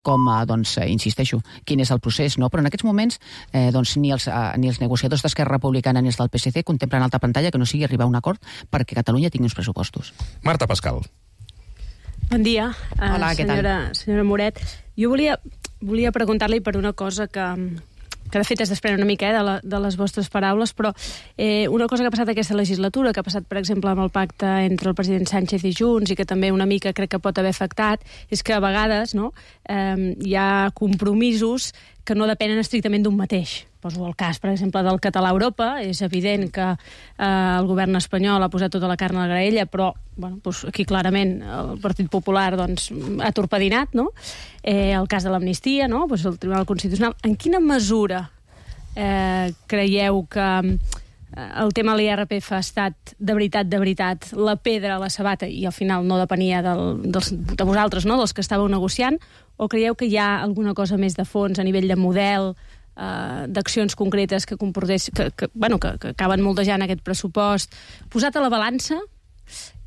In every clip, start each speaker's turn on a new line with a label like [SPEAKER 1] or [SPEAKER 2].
[SPEAKER 1] com, insisteixo, quin és el procés, no? Però en aquests moments ni els negociadors d'Esquerra Republicana ni els del PSC contemplen alta pantalla que no sigui arribar a un acord perquè Catalunya tingui uns pressupostos.
[SPEAKER 2] Marta Pascal.
[SPEAKER 3] Bon dia,
[SPEAKER 1] hola, què tal?
[SPEAKER 3] Senyora Moret. Jo volia preguntar-li per una cosa que de fet es desprèn una mica de les vostres paraules, però una cosa que ha passat aquesta legislatura, que ha passat, per exemple, amb el pacte entre el president Sánchez i Junts, i que també una mica crec que pot haver afectat, és que a vegades hi ha compromisos que no depenen estrictament d'un mateix. Poso el cas, per exemple, del català a Europa. És evident que el govern espanyol ha posat tota la carn a la graella, però aquí clarament el Partit Popular ha torpedinat, no? El cas de l'amnistia, no? El Tribunal Constitucional. En quina mesura creieu que el tema de l'IRPF ha estat de veritat, la pedra a la sabata, i al final no depenia de vosaltres, no? Dels que estàveu negociant, o creieu que hi ha alguna cosa més de fons a nivell de model, d'accions concretes que acaben moldejant aquest pressupost? Posat a la balança,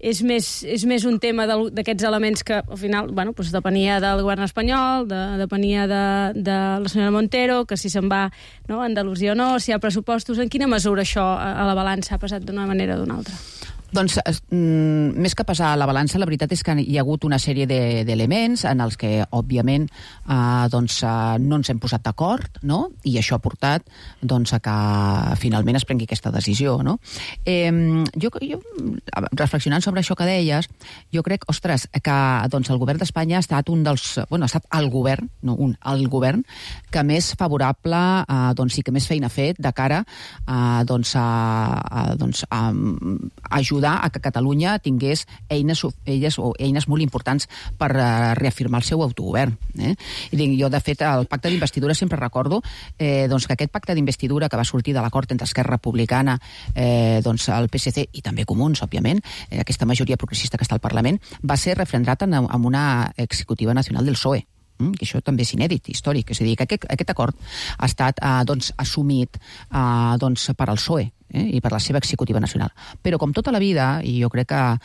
[SPEAKER 3] és més un tema d'aquests elements que al final depenia del govern espanyol, depenia de la senyora Montero, que si se'n va a Andalusia o no, si hi ha pressupostos. En quina mesura això a la balança ha passat d'una manera o d'una altra?
[SPEAKER 1] Doncs, més que passar a la balança, la veritat és que hi ha hagut una sèrie d'elements en els que, òbviament, no ens hem posat d'acord, no? I això ha portat a que finalment es prengui aquesta decisió, no? Jo, reflexionant sobre això que deies, jo crec, que el govern d'Espanya ha estat ha estat el govern, no el govern, que més favorable i que més feina ha fet de cara a ajudar a que Catalunya tingués eines molt importants per reafirmar el seu autogovern. Jo, de fet, el pacte d'investidura sempre recordo que aquest pacte d'investidura que va sortir de l'acord entre Esquerra Republicana, el PSC i també Comuns, òbviament, aquesta majoria progressista que està al Parlament, va ser refrendat amb una executiva nacional del PSOE. Que això també és inèdit, històric. És a dir, que aquest acord ha estat assumit per al PSOE i per la seva executiva nacional. Però com tota la vida, i jo crec que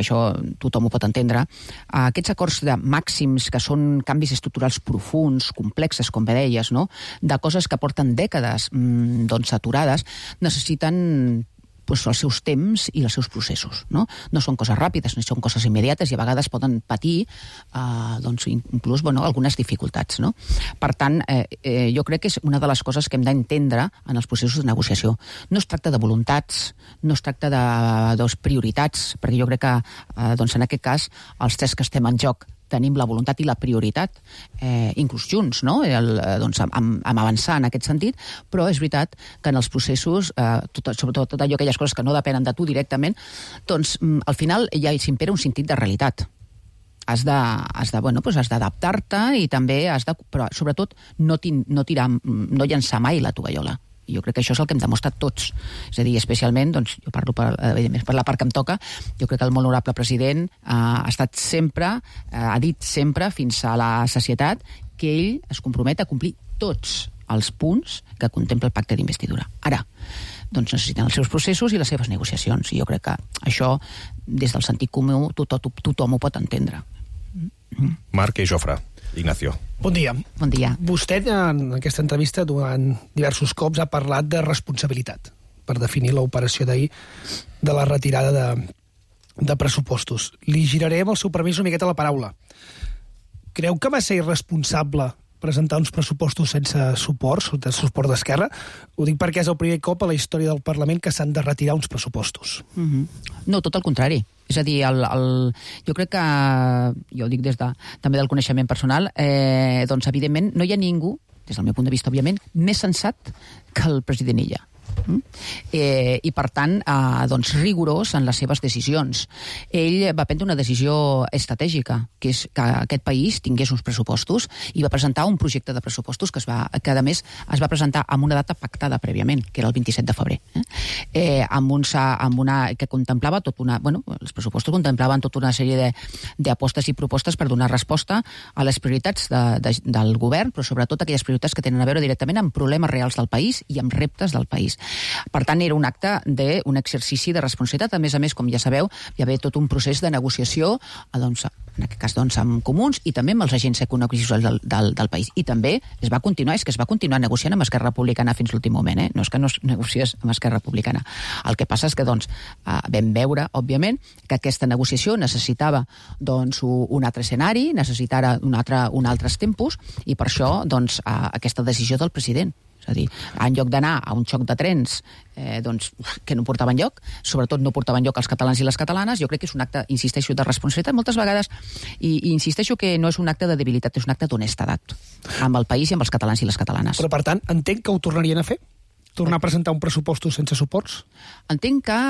[SPEAKER 1] això tothom ho pot entendre, aquests acords de màxims, que són canvis estructurals profuns, complexes, com bé deies, no? De coses que porten dècades aturades, necessiten els seus temps i els seus processos. No són coses ràpides, no són coses immediates, i a vegades poden patir inclús algunes dificultats. No? Per tant, jo crec que és una de les coses que hem d'entendre en els processos de negociació. No es tracta de voluntats, no es tracta de prioritats, perquè jo crec que en aquest cas els tres que estem en joc tenim la voluntat i la prioritat, inclús junts, no? Amb avançar en aquest sentit, però és veritat que en els processos, sobretot tot allò, aquelles coses que no depenen de tu directament, al final ja s'impera un sentit de realitat. Has d'adaptar-te i també però sobretot no llançar mai la tovallola. Jo crec que això és el que hem demostrat tots. És a dir, especialment, jo parlo per la part que em toca, jo crec que el molt honorable president ha dit sempre, fins a la sacietat, que ell es compromet a complir tots els punts que contempla el pacte d'investidura. Ara, necessiten els seus processos i les seves negociacions, i jo crec que això, des del sentit comú, tothom ho pot entendre.
[SPEAKER 2] Marc i Jofre. Ignacio.
[SPEAKER 4] Bon dia.
[SPEAKER 1] Bon dia.
[SPEAKER 4] Vostè, en aquesta entrevista, durant diversos cops, ha parlat de responsabilitat per definir l'operació d'ahir de la retirada de pressupostos. Li giraré, amb el seu permís, una miqueta la paraula. Creu que va ser irresponsable presentar uns pressupostos sense suport d'Esquerra? Ho dic perquè és el primer cop a la història del Parlament que s'han de retirar uns pressupostos.
[SPEAKER 1] No, tot el contrari. És a dir, jo crec que, jo ho dic també del coneixement personal, evidentment no hi ha ningú, des del meu punt de vista, òbviament, més sensat que el president Illa. I per tant rigorós en les seves decisions. Ell va prendre una decisió estratègica, que és que aquest país tingués uns pressupostos, i va presentar un projecte de pressupostos que a més es va presentar amb una data pactada prèviament, que era el 27 de febrer, que contemplava els pressupostos contemplaven tota una sèrie d'apostes i propostes per donar resposta a les prioritats del govern, però sobretot aquelles prioritats que tenen a veure directament amb problemes reals del país i amb reptes del país. Per tant, era un acte d'un exercici de responsabilitat. A més, com ja sabeu, hi havia tot un procés de negociació, doncs, en aquest cas amb comuns i també amb els agents econòmics del país. I també es va continuar negociant amb Esquerra Republicana fins l'últim moment, no és que no es negociés amb Esquerra Republicana. El que passa és que vam veure, òbviament, que aquesta negociació necessitava un altre escenari, necessitava un altres tempos, i per això aquesta decisió del president. És a dir, en lloc d'anar a un xoc de trens que no portaven lloc, sobretot no portaven lloc els catalans i les catalanes, jo crec que és un acte, insisteixo, de responsabilitat moltes vegades, i insisteixo que no és un acte de debilitat, és un acte d'honestedat amb el país i amb els catalans i les catalanes.
[SPEAKER 4] Però, per tant, entenc que ho tornarien a fer? Tornar a presentar un pressupostos sense suports?
[SPEAKER 1] Entenc que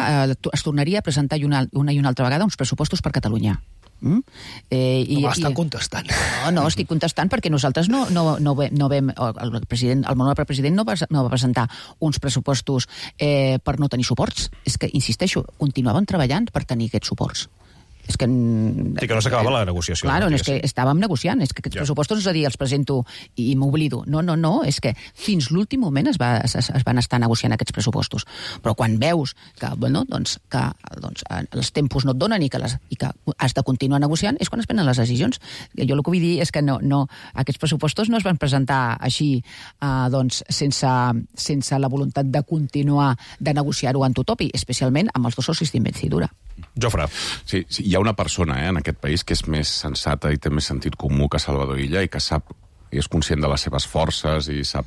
[SPEAKER 1] es tornaria a presentar una i una altra vegada uns pressupostos per Catalunya.
[SPEAKER 4] No m'estan contestant.
[SPEAKER 1] No, estic contestant perquè nosaltres no vam... El honorable president no va presentar uns pressupostos per no tenir suports. És que, insisteixo, continuàvem treballant per tenir aquests suports. És que...
[SPEAKER 2] Sí, que no s'acabava la negociació.
[SPEAKER 1] Claro, és que estàvem negociant, és que aquests pressupostos, és a dir, els presento i m'oblido. No, és que fins l'últim moment es van estar negociant aquests pressupostos. Però quan veus que els tempos no et donen i que has de continuar negociant, és quan es prenen les decisions. Jo el que vull dir és que aquests pressupostos no es van presentar així sense la voluntat de continuar de negociar-ho en tothom, i especialment amb els dos socis d'investidura.
[SPEAKER 2] Jofre.
[SPEAKER 5] Sí, hi ha una persona en aquest país que és més sensata i té més sentit comú que Salvador Illa i que sap i és conscient de les seves forces i sap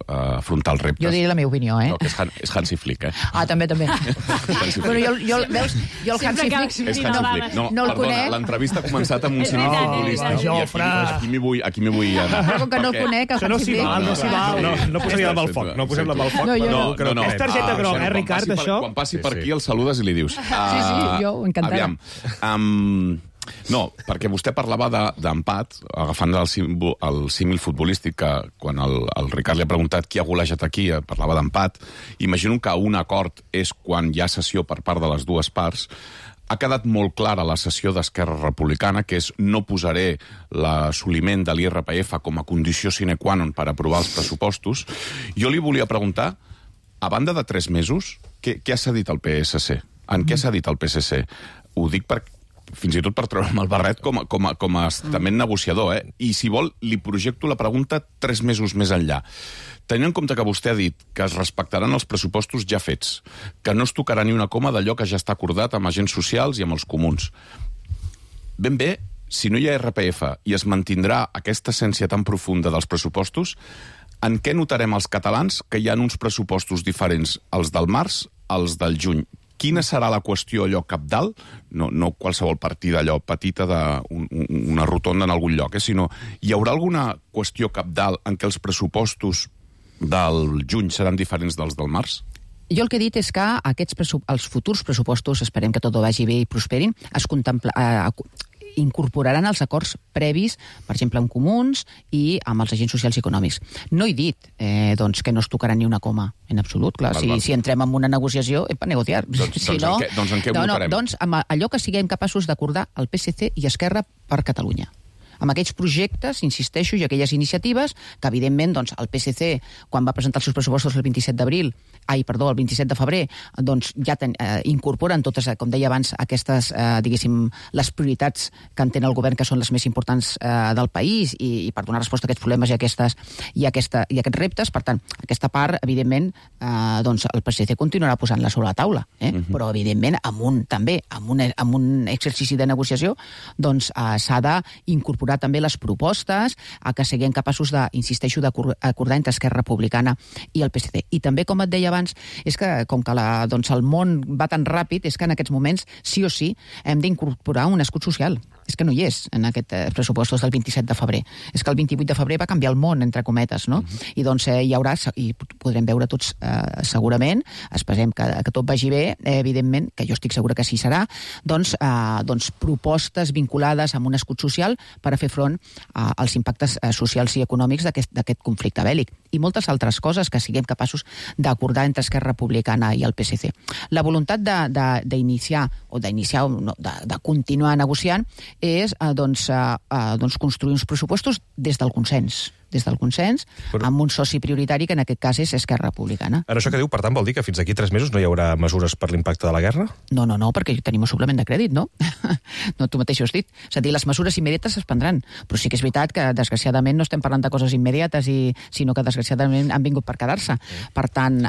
[SPEAKER 5] afrontar els reptes.
[SPEAKER 1] Jo diré la meva opinió,
[SPEAKER 5] No, que és Hansi Flick,
[SPEAKER 1] també. Bueno, jo el Hansi Flick...
[SPEAKER 5] És Hansi Flick.
[SPEAKER 1] No el conec.
[SPEAKER 5] L'entrevista ha començat amb un cine futbolista.
[SPEAKER 4] Jofre.
[SPEAKER 5] Aquí m'hi vull anar.
[SPEAKER 1] Però com que no el conec, el Hansi Flick...
[SPEAKER 2] No posaria amb el foc. No posem amb el foc.
[SPEAKER 5] No.
[SPEAKER 4] És targeta groga, Ricard, això?
[SPEAKER 5] Quan passi per aquí el saludes i li dius.
[SPEAKER 1] Sí, jo encantada.
[SPEAKER 5] Aviam. No, perquè vostè parlava d'empat, agafant el símil futbolístic, que quan el Ricard li ha preguntat qui ha golejat aquí, parlava d'empat. Imagino que un acord és quan hi ha cessió per part de les dues parts. Ha quedat molt clara la cessió d'Esquerra Republicana, que és no posaré l'assoliment de l'IRPF com a condició sine qua non per aprovar els pressupostos. Jo li volia preguntar, a banda de 3 mesos, què ha cedit el PSC? En què s'ha dit el PSC? Ho dic fins i tot per treure'm el barret com a estament negociador, I si vol, li projecto la pregunta 3 mesos més enllà. Tenint en compte que vostè ha dit que es respectaran els pressupostos ja fets, que no es tocarà ni una coma d'allò que ja està acordat amb agents socials i amb els comuns. Ben bé, si no hi ha RPF i es mantindrà aquesta essència tan profunda dels pressupostos, en què notarem els catalans que hi ha uns pressupostos diferents, els del març, els del juny? Quina serà la qüestió allò cabdal? No qualsevol partida allò petita d'una rotonda en algun lloc, sinó hi haurà alguna qüestió cabdal en què els pressupostos del juny seran diferents dels del març?
[SPEAKER 1] Jo el que he dit és que els futurs pressupostos, esperem que tot vagi bé i prosperin, incorporaran els acords previs, per exemple, amb comuns i amb els agents socials i econòmics. No he dit que no es tocarà ni una coma, en absolut. Clar, si entrem en una negociació, és per negociar.
[SPEAKER 5] Doncs en què ho votarem?
[SPEAKER 1] Doncs amb allò que siguem capaços d'acordar el PSC i Esquerra per Catalunya. Amb aquells projectes, insisteixo, i aquelles iniciatives que, evidentment, el PSC, quan va presentar els seus pressupostos el 27 de febrer, ja incorporen totes, com deia abans, aquestes, diguéssim, les prioritats que entén el govern, que són les més importants del país, i per donar resposta a aquests problemes i aquests reptes. Per tant, aquesta part, evidentment, el PSC continuarà posant-la sobre la taula, però, evidentment, amb un exercici de negociació, s'ha d'incorporar també les propostes a que siguem capaços insisteixo, d'acordar entre Esquerra Republicana i el PSC. I també, com et deia abans, és que com que el món va tan ràpid, és que en aquests moments, sí o sí, hem d'incorporar un escut social. És que no hi és en aquests pressupostos del 27 de febrer. És que el 28 de febrer va canviar el món, entre cometes, no? I hi haurà, i podrem veure tots segurament, esperem que tot vagi bé, evidentment, que jo estic segura que sí serà, propostes vinculades amb un escut social per a fer front als impactes socials i econòmics d'aquest conflicte bèl·lic. I moltes altres coses que siguem capaços d'acordar entre Esquerra Republicana i el PSC. La voluntat de continuar negociant és construir uns pressupostos des del consens. des del consens, amb un soci prioritari que en aquest cas és Esquerra Republicana.
[SPEAKER 2] En això que diu, per tant, vol dir que fins d'aquí 3 mesos no hi haurà mesures per l'impacte de la guerra?
[SPEAKER 1] No, perquè tenim un suplement de crèdit, no? No, tu mateix ho has dit. És a dir, les mesures immediates es prendran, però sí que és veritat que, desgraciadament, no estem parlant de coses immediates, sinó que, desgraciadament, han vingut per quedar-se. Per tant,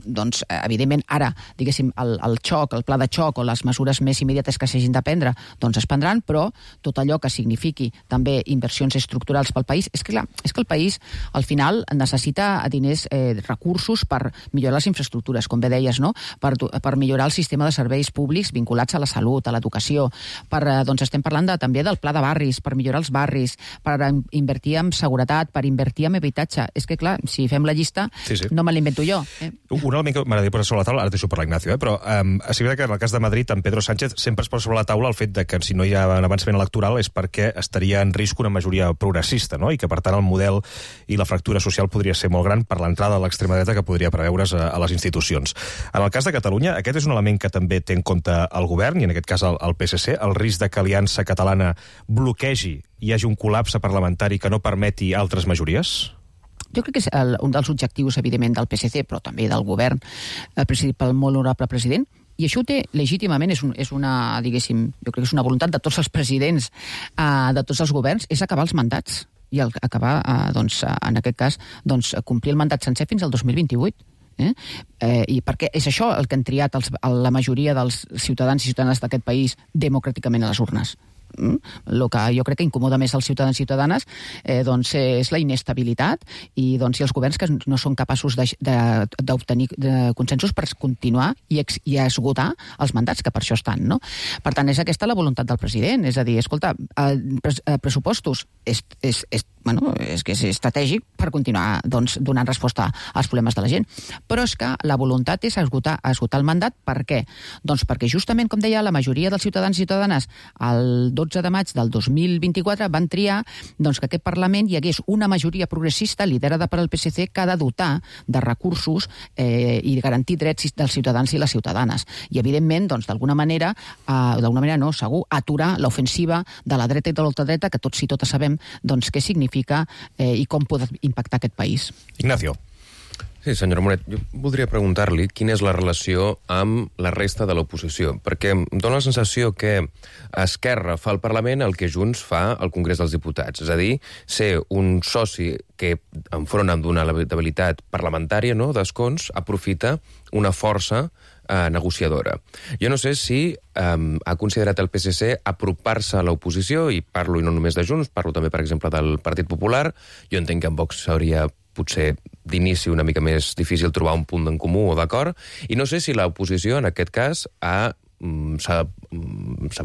[SPEAKER 1] doncs, evidentment, ara, diguéssim, el xoc, el pla de xoc o les mesures més immediates que s'hagin de prendre, doncs es prendran, però tot allò que signifiqui també inversions estructurals pel país, és que el país, al final, necessita diners, recursos per millorar les infraestructures, com bé deies, no? Per millorar el sistema de serveis públics vinculats a la salut, a l'educació. Doncs estem parlant també del pla de barris, per millorar els barris, per invertir en seguretat, per invertir en habitatge. És que, clar, si fem la llista, no me l'invento jo.
[SPEAKER 2] Un element que m'agradaria posar sobre la taula, ara deixo per l'Ignacio, però és veritat que en el cas de Madrid, en Pedro Sánchez sempre es posa sobre la taula el fet de que si no hi ha un avançament electoral és perquè estaria en risc una majoria progressista, no? I que, per tant, el model i la fractura social podria ser molt gran per l'entrada de l'extrema dreta que podria preveure's a les institucions. En el cas de Catalunya, aquest és un element que també té en compte el govern, i en aquest cas el PSC, el risc de que Aliança Catalana bloquegi i hi hagi un col·lapse parlamentari que no permeti altres majories?
[SPEAKER 1] Jo crec que és un dels objectius, evidentment, del PSC, però també del govern, presidit pel molt honorable president, i això ho té legítimament, és una, diguéssim, jo crec que és una voluntat de tots els presidents, de tots els governs, és acabar els mandats i acabar, doncs, en aquest cas, doncs, complir el mandat sencer fins al 2028. I perquè és això el que han triat la majoria dels ciutadans i ciutadanes d'aquest país democràticament a les urnes. El que jo crec que incomoda més als ciutadans i ciutadanes doncs és la inestabilitat i doncs si els governs que no són capaços d'obtenir consensos per continuar i esgotar els mandats que per això estan, no? Per tant, és aquesta la voluntat del president, és a dir, escolta, pressupostos és que és estratègic per continuar doncs, donant resposta als problemes de la gent, però és que la voluntat és esgotar el mandat. Per què? Doncs perquè justament, com deia, la majoria dels ciutadans i ciutadanes el 12 de maig del 2024 van triar doncs, que aquest Parlament hi hagués una majoria progressista liderada per al PSC que ha de dotar de recursos i garantir drets dels ciutadans i les ciutadanes. I, evidentment, doncs, d'alguna manera no, segur, aturar l'ofensiva de la dreta i de l'ultradreta, que tots i totes sabem doncs, què significa i com pot impactar aquest país.
[SPEAKER 2] Ignacio.
[SPEAKER 6] Sí, senyora Moret, jo voldria preguntar-li quina és la relació amb la resta de l'oposició, perquè em dóna la sensació que Esquerra fa al Parlament el que Junts fa al Congrés dels Diputats, és a dir, ser un soci que, enfront d'una debilitat parlamentària, no, d'escons, aprofita una força negociadora. Jo no sé si ha considerat el PSC apropar-se a l'oposició, i parlo no només de Junts, parlo també, per exemple, del Partit Popular. Jo entenc que en Vox seria potser d'inici una mica més difícil trobar un punt en comú o d'acord, i no sé si l'oposició en aquest cas s'ha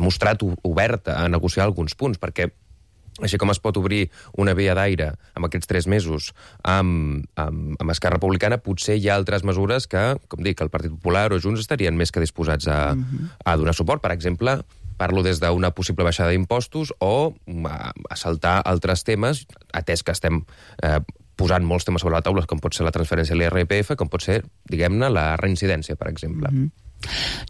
[SPEAKER 6] mostrat oberta a negociar alguns punts, perquè així com es pot obrir una via d'aire amb aquests 3 mesos amb Esquerra Republicana, potser hi ha altres mesures que, com dic, el Partit Popular o Junts estarien més que disposats a donar suport. Per exemple, parlo des d'una possible baixada d'impostos o a saltar altres temes, atès que estem posant molts temes sobre la taula, com pot ser la transferència a l'IRPF, com pot ser, diguem-ne, la reincidència, per exemple.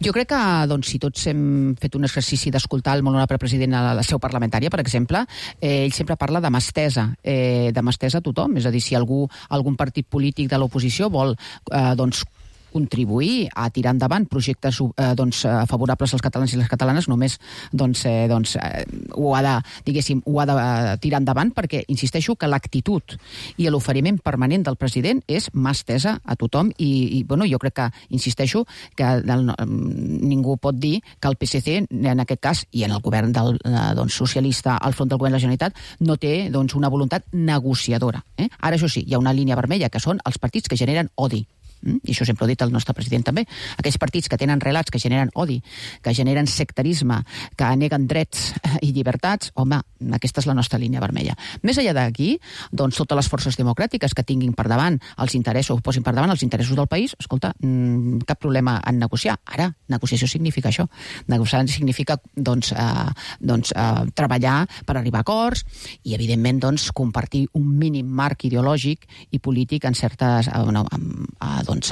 [SPEAKER 1] Jo crec que doncs, si tots hem fet un exercici d'escoltar el molt honorable president a la seu parlamentària, per exemple, ell sempre parla de mà estesa a tothom. És a dir, si algun partit polític de l'oposició vol doncs, contribuir a tirar endavant projectes favorables als catalans i les catalanes, només ho ha de tirar endavant, perquè insisteixo que l'actitud i l'oferiment permanent del president és mà estesa a tothom i jo crec que, insisteixo, que ningú pot dir que el PSC, en aquest cas, i en el govern socialista al front del govern de la Generalitat, no té una voluntat negociadora. Ara, això sí, hi ha una línia vermella, que són els partits que generen odi. I això sempre ho ha dit el nostre president també. Aquells partits que tenen relats que generen odi, que generen sectarisme, que neguen drets i llibertats, home, aquesta és la nostra línia vermella. Més enllà d'aquí, doncs totes les forces democràtiques que tinguin per davant els interessos, posin per davant els interessos del país, escolta, cap problema en negociar. Ara, negociació significa això. Negociar significa treballar per arribar a acords i, evidentment, compartir un mínim marc ideològic i polític en certes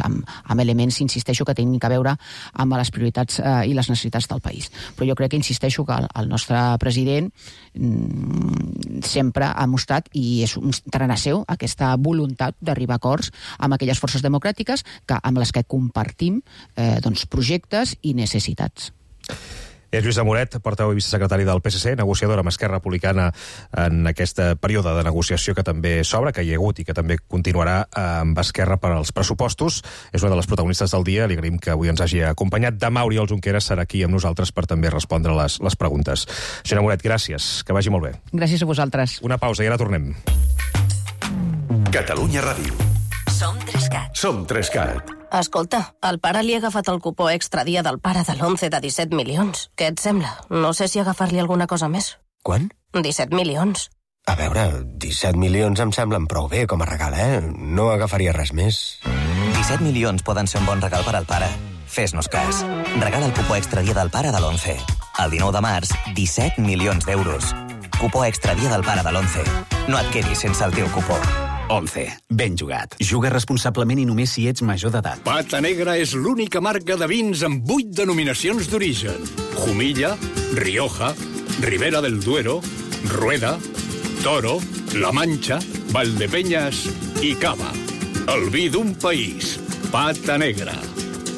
[SPEAKER 1] amb elements, insisteixo, que tenen que veure amb les prioritats i les necessitats del país. Però jo crec que insisteixo que el nostre president sempre ha mostrat, i és un tarannà seu, aquesta voluntat d'arribar a acords amb aquelles forces democràtiques amb les que compartim projectes i necessitats.
[SPEAKER 2] És Lluïsa Moret, portaveu i vicesecretari del PSC, negociadora amb Esquerra Republicana en aquest període de negociació que també s'obre, que hi ha hagut i que també continuarà amb Esquerra per als pressupostos. És una de les protagonistes del dia. Li agraïm que avui ens hagi acompanyat. Demà Oriol Junqueras serà aquí amb nosaltres per també respondre les preguntes. Senyora Moret, gràcies. Que vagi molt bé.
[SPEAKER 1] Gràcies a vosaltres.
[SPEAKER 2] Una pausa i ara tornem.
[SPEAKER 7] Catalunya Ràdio.
[SPEAKER 8] Som 3CAT.
[SPEAKER 7] Som 3CAT.
[SPEAKER 8] Escolta, al pare li ha agafat el cupó extra dia del pare de l'11 de 17 milions. Què et sembla? No sé si agafar-li alguna cosa més.
[SPEAKER 9] Quan?
[SPEAKER 8] 17 milions.
[SPEAKER 9] A veure, 17 milions em semblen prou bé com a regal, No agafaria res més.
[SPEAKER 10] 17 milions poden ser un bon regal per al pare. Fes-nos cas. Regala el cupó extra dia del pare de l'11. El 19 de març, 17 milions d'euros. Cupó extra dia del pare de l'11. No et quedis sense el teu cupó.
[SPEAKER 11] 11. Ben jugat. Juga responsablement i només si ets major d'edat.
[SPEAKER 12] Pata Negra és l'única marca de vins amb 8 denominacions d'origen. Jumilla, Rioja, Ribera del Duero, Rueda, Toro, La Mancha, Valdepeñas i Cava. El vi d'un país. Pata Negra.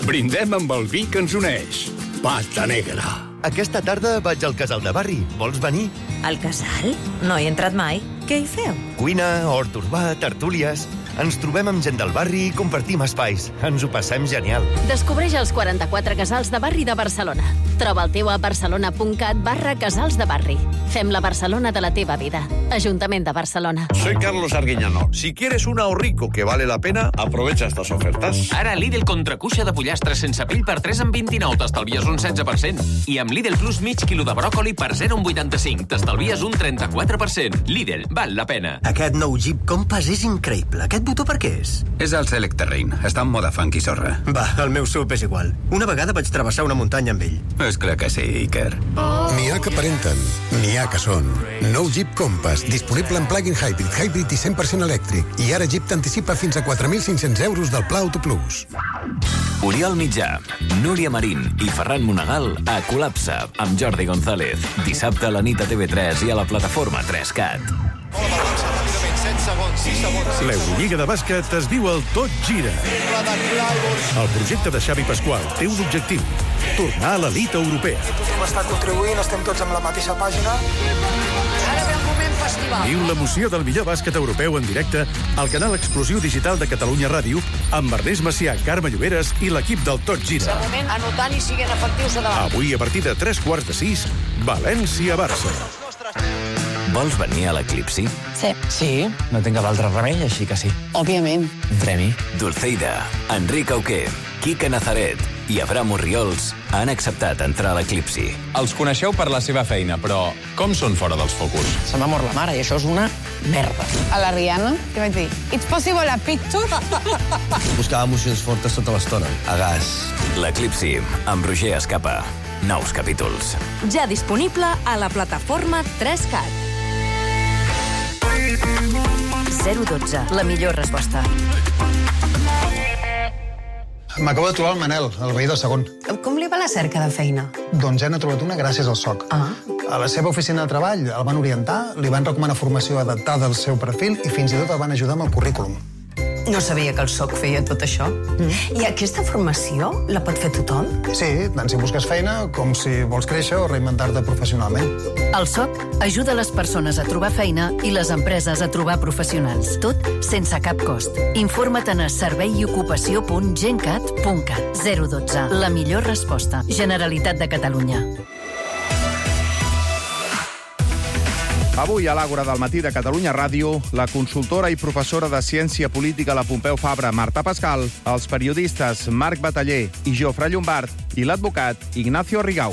[SPEAKER 12] Brindem amb el vi que ens uneix. Pata Negra.
[SPEAKER 13] Aquesta tarda vaig al Casal de Barri. Vols venir?
[SPEAKER 14] Al Casal? No hi he entrat mai. Què hi feu?
[SPEAKER 13] Cuina, hort urbà, tertúlies... Ens trobem amb gent del barri i compartim espais. Ens ho passem genial.
[SPEAKER 15] Descobreix els 44 casals de barri de Barcelona. Troba el teu a barcelona.cat/casals de barri. Fem la Barcelona de la teva vida. Ajuntament de Barcelona.
[SPEAKER 16] Soy Carlos Arguiñano. Si quieres un ahorrico que vale la pena, aprovecha estas ofertas.
[SPEAKER 17] Ara Lidl contracuixa de pollastre sense pell per 3 en 29, t'estalvies un 16%. I amb Lidl Plus mig quilo de bròcoli per 0,85, t'estalvies un 34%. Lidl, val la pena.
[SPEAKER 18] Aquest nou Jeep Compass és increïble. Aquest botó per què és?
[SPEAKER 19] És el Select Terrain. Està en moda funky sorra.
[SPEAKER 18] Va, el meu SUV és igual. Una vegada vaig travessar una muntanya amb ell.
[SPEAKER 19] És clar que sí, Iker.
[SPEAKER 20] N'hi ha que aparenten, n'hi ha que són. Nou Jeep Compass, disponible en plug-in hybrid i 100% elèctric. I ara Jeep t'anticipa fins a 4.500 euros del Pla Auto Plus.
[SPEAKER 21] Oriol Mitjà, Núria Marín i Ferran Monegal a Col·lapse amb Jordi González. Dissabte a la nit a TV3 i a la plataforma 3CAT.
[SPEAKER 22] L'Eurolliga de bàsquet es viu al Tot Gira. El projecte de Xavi Pasqual té un objectiu: tornar a l'elit europea.
[SPEAKER 23] Tothom està contribuint, estem tots amb la mateixa pàgina. Ara ve el moment festival.
[SPEAKER 22] Viu l'emoció del millor bàsquet europeu en directe al canal exclusiu digital de Catalunya Ràdio amb Ernest Macià, Carme Lloberes i l'equip del Tot Gira.
[SPEAKER 23] De moment, anotant i siguent efectius a davant.
[SPEAKER 22] Avui, a partir de 3:45, València-Barça.
[SPEAKER 21] Vols venir a l'Eclipsi?
[SPEAKER 24] Sí, no tinc cap altre remei, així que sí. Òbviament. Un premi.
[SPEAKER 21] Dulceida, Enric Auquer, Quique Nazaret i Abraham Orriols han acceptat entrar a l'Eclipsi.
[SPEAKER 25] Els coneixeu per la seva feina, però com són fora dels focus?
[SPEAKER 24] Se m'ha mort la mare i això és una merda.
[SPEAKER 26] A la Rihanna, què vaig dir? It's possible a picture?
[SPEAKER 27] Buscava emocions fortes tota l'estona. A gas.
[SPEAKER 21] L'Eclipsi, amb Roger Escapa. Nous capítols.
[SPEAKER 14] Ja disponible a la plataforma 3CAT. 012, la millor resposta.
[SPEAKER 28] M'acabo de trobar el Manel, el veí del segon.
[SPEAKER 26] Com li va la cerca de feina?
[SPEAKER 28] Doncs ja n'ha trobat una gràcies al SOC. A la seva oficina de treball el van orientar, li van recomanar formació adaptada al seu perfil i fins i tot el van ajudar amb el currículum.
[SPEAKER 26] No sabia que el SOC feia tot això. I aquesta formació la pot fer tothom?
[SPEAKER 28] Sí, tant si busques feina com si vols créixer o reinventar-te professionalment.
[SPEAKER 29] El SOC ajuda les persones a trobar feina i les empreses a trobar professionals. Tot sense cap cost. Informa't a serveiocupació.gencat.cat. 012. La millor resposta. Generalitat de Catalunya.
[SPEAKER 30] Avui, a l'Àgora del matí de Catalunya Ràdio, la consultora i professora de Ciència Política a la Pompeu Fabra, Marta Pascal, els periodistes Marc Bataller i Jofre Llombart i l'advocat Ignacio Rigau.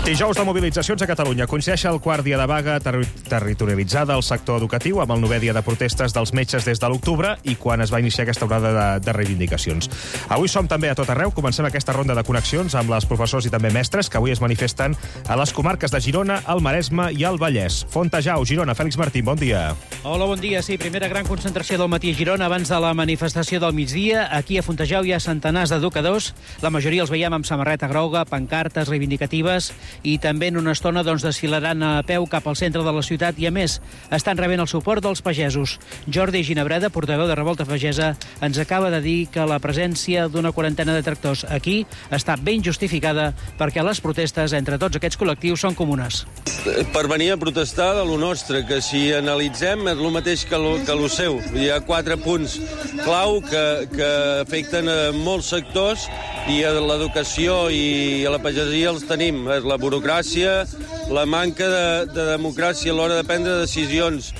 [SPEAKER 1] Dijous de mobilitzacions a Catalunya. Coincideix el quart dia de vaga territorialitzada al sector educatiu amb el 9è dia de protestes dels metges des de l'octubre i quan es va iniciar aquesta onada de reivindicacions. Avui som també a tot arreu. Comencem aquesta ronda de connexions amb les professors i també mestres que avui es manifesten a les comarques de Girona, el Maresme i el Vallès. Fontejau, Girona. Fèlix Martín, bon dia.
[SPEAKER 2] Hola, bon dia. Sí, primera gran concentració del matí a Girona abans de la manifestació del migdia. Aquí a Fontejau hi ha centenars d'educadors. La majoria els veiem amb samarreta groga, pancartes reivindicatives i també en una estona desfilaran a peu cap al centre de la ciutat i, a més, estan rebent el suport dels pagesos. Jordi Ginebreda, portaveu de Revolta Pagesa, ens acaba de dir que la presència d'una quarantena de tractors aquí està ben justificada perquè les protestes entre tots aquests col·lectius són comunes.
[SPEAKER 3] Per venir a protestar de lo nostre, que si analitzem és el mateix que lo seu. Hi ha 4 punts clau que afecten a molts sectors i a l'educació i a la pagesia els tenim. És la burocràcia, la manca de democràcia a l'hora de prendre decisions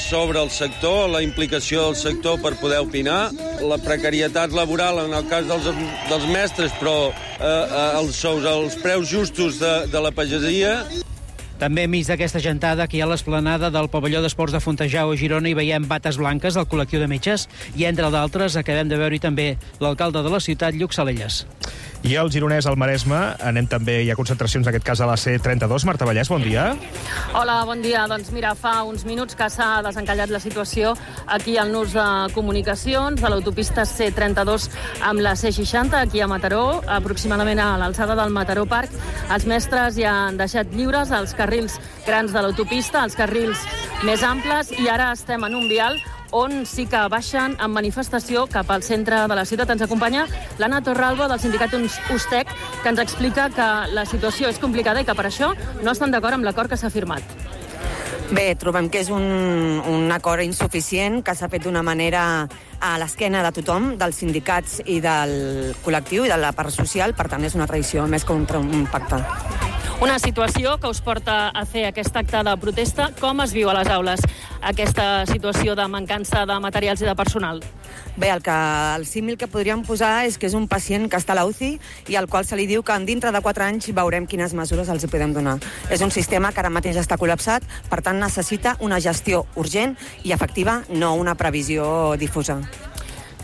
[SPEAKER 3] sobre el sector, la implicació del sector per poder opinar, la precarietat laboral en el cas dels mestres, però els sous, els preus justos de la pagesia.
[SPEAKER 2] També enmig d'aquesta gentada que hi ha a l'esplanada del pavelló d'esports de Fontejau a Girona hi veiem bates blanques del col·lectiu de metges i, entre d'altres, acabem de veure-hi també l'alcalde de la ciutat, Lluc Salelles.
[SPEAKER 1] I al Gironès, al Maresme, anem també, hi ha concentracions, en aquest cas a la C32. Marta Vallès, bon dia.
[SPEAKER 4] Hola, bon dia. Doncs mira, fa uns minuts que s'ha desencallat la situació aquí al nus de comunicacions de l'autopista C32 amb la C60, aquí a Mataró, aproximadament a l'alçada del Mataró Parc. Els mestres ja han deixat lliures els carrils grans de l'autopista, els carrils més amples, i ara estem en un vial on sí que baixen en manifestació cap al centre de la ciutat. Ens acompanya l'Anna Torralba, del sindicat Ustec, que ens explica que la situació és complicada i que per això no estan d'acord amb l'acord que s'ha firmat.
[SPEAKER 5] Bé, trobem que és un acord insuficient, que s'ha fet d'una manera a l'esquena de tothom, dels sindicats i del col·lectiu i de la part social, per tant és una traïció més que un pacte.
[SPEAKER 4] Una situació que us porta a fer aquest acte de protesta. Com es viu a les aules aquesta situació de mancança de materials i de personal?
[SPEAKER 5] Bé, el símil que podríem posar és que és un pacient que està a la UCI i al qual se li diu que dintre de 4 anys veurem quines mesures els podem donar. És un sistema que ara mateix està col·lapsat, per tant necessita una gestió urgent i efectiva, no una previsió difusa.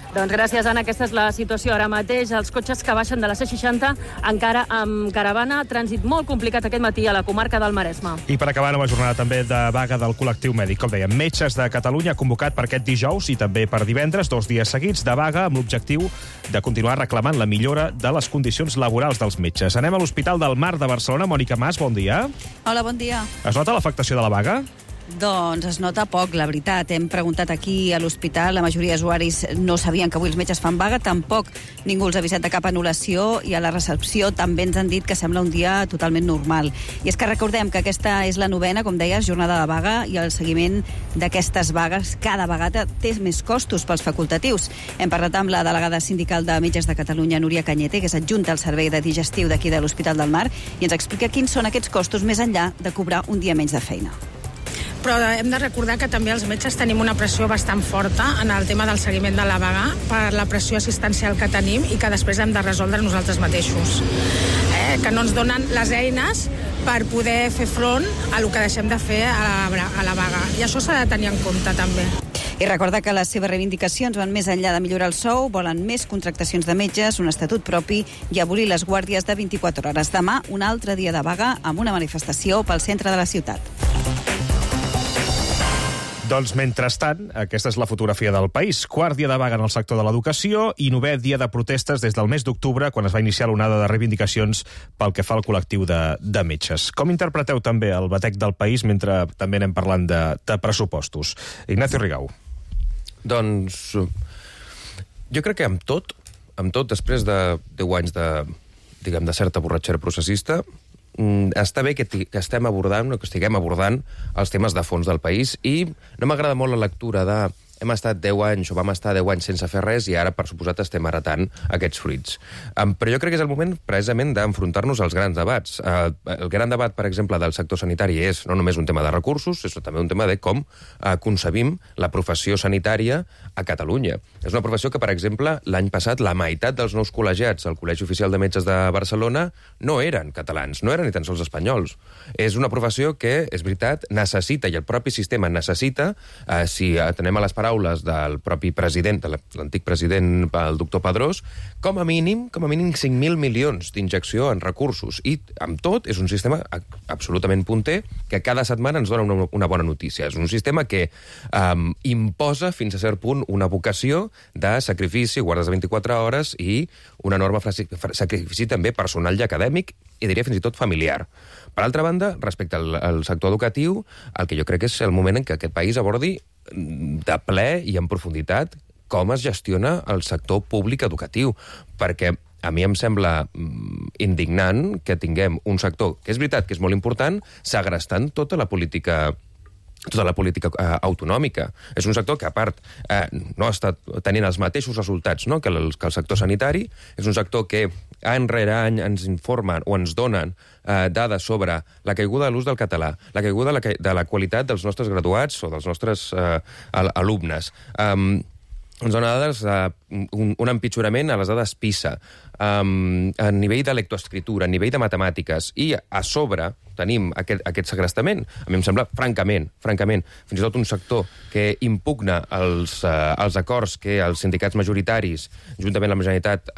[SPEAKER 4] Doncs gràcies, Anna. Aquesta és la situació ara mateix. Els cotxes que baixen de la C60 encara amb caravana. Trànsit molt complicat aquest matí a la comarca del Maresme.
[SPEAKER 1] I per acabar, nova jornada també de vaga del col·lectiu mèdic. Com dèiem, Metges de Catalunya ha convocat per aquest dijous i també per divendres 2 dies seguits de vaga amb l'objectiu de continuar reclamant la millora de les condicions laborals dels metges. Anem a l'Hospital del Mar de Barcelona. Mònica Mas, bon dia.
[SPEAKER 6] Hola, bon dia.
[SPEAKER 1] Es nota l'afectació de la vaga?
[SPEAKER 6] Doncs es nota poc, la veritat. Hem preguntat aquí a l'hospital, la majoria d'usuaris no sabien que avui els metges fan vaga, tampoc ningú els ha avisat de cap anul·lació i a la recepció també ens han dit que sembla un dia totalment normal. I és que recordem que aquesta és la 9ª, com deies, jornada de vaga i el seguiment d'aquestes vagues cada vegada té més costos pels facultatius. Hem parlat amb la delegada sindical de Metges de Catalunya, Núria Cañete, que és adjunta al servei de digestiu d'aquí de l'Hospital del Mar, i ens explica quins són aquests costos més enllà de cobrar un dia menys de feina.
[SPEAKER 7] Però hem de recordar que també els metges tenim una pressió bastant forta en el tema del seguiment de la vaga per la pressió assistencial que tenim i que després hem de resoldre nosaltres mateixos. Que no ens donen les eines per poder fer front a el que deixem de fer a la vaga. I això s'ha de tenir en compte també.
[SPEAKER 6] I recorda que les seves reivindicacions van més enllà de millorar el sou, volen més contractacions de metges, un estatut propi i abolir les guàrdies de 24 hores. Demà, un altre dia de vaga amb una manifestació pel centre de la ciutat.
[SPEAKER 1] Doncs, mentrestant, aquesta és la fotografia del país. Quart dia de vaga en el sector de l'educació i 9è dia de protestes des del mes d'octubre, quan es va iniciar l'onada de reivindicacions pel que fa al col·lectiu de metges. Com interpreteu també el batec del país mentre també anem parlant de pressupostos? Ignacio Rigau.
[SPEAKER 8] Doncs jo crec que amb tot, després de 10 anys de certa borratxera processista, està bé que estiguem abordant els temes de fons del país i no m'agrada molt la lectura de hem estat 10 anys, o vam estar 10 anys sense fer res, i ara, per suposat, estem heretant aquests fruits. Però jo crec que és el moment, precisament, d'enfrontar-nos als grans debats. El gran debat, per exemple, del sector sanitari és no només un tema de recursos, és també un tema de com concebim la professió sanitària a Catalunya. És una professió que, per exemple, l'any passat, la meitat dels nous col·legiats al Col·legi Oficial de Metges de Barcelona no eren catalans, no eren ni tan sols espanyols. És una professió que, és veritat, necessita, i el propi sistema necessita, si atenem a les paraules del propi president, de l'antic president, el doctor Pedrós, com a mínim 5.000 milions d'injecció en recursos. I, amb tot, és un sistema absolutament punter que cada setmana ens dona una bona notícia. És un sistema que imposa, fins a cert punt, una vocació de sacrifici, guardes de 24 hores i un enorme sacrifici també personal i acadèmic, i diria fins i tot familiar. Per altra banda, respecte al sector educatiu, el que jo crec que és el moment en què aquest país abordi de ple i en profunditat com es gestiona el sector públic educatiu, perquè a mi em sembla indignant que tinguem un sector, que és veritat que és molt important, segrestant tota la política autonòmica. És un sector que, a part, no està tenint els mateixos resultats, no?, que el sector sanitari. És un sector que any rere any ens informen o ens donen dades sobre la caiguda de l'ús del català, la caiguda de la qualitat dels nostres graduats o dels nostres alumnes. Ens dona dades un empitjorament a les dades PISA, a nivell de lectoescriptura, a nivell de matemàtiques, i a sobre tenim aquest segrestament. A mi em sembla, francament, fins i tot un sector que impugna els acords que els sindicats majoritaris, juntament amb la Generalitat,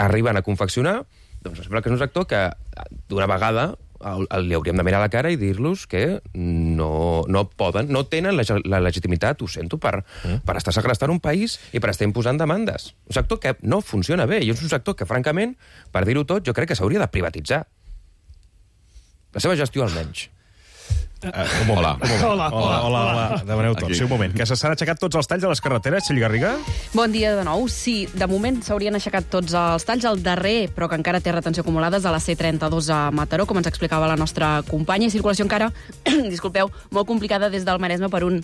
[SPEAKER 8] arriben a confeccionar, doncs em sembla que és un sector que, d'una vegada, li hauríem de mirar a la cara i dir-los que no poden, no tenen la legitimitat, ho sento, per estar segrestant un país i per estar imposant demandes. Un sector que no funciona bé, i és un sector que, francament, per dir-ho tot, jo crec que s'hauria de privatitzar. La seva gestió, almenys.
[SPEAKER 1] Hola. Demaneu tot. Sí, un moment. Que s'han aixecat tots els talls a les carreteres, Txell Garriga?
[SPEAKER 9] Bon dia de nou. Sí, de moment s'haurien aixecat tots els talls. El darrer, però que encara té retenció acumulada, és a la C32 a Mataró, com ens explicava la nostra companya. I circulació encara, disculpeu, molt complicada des del Maresme per un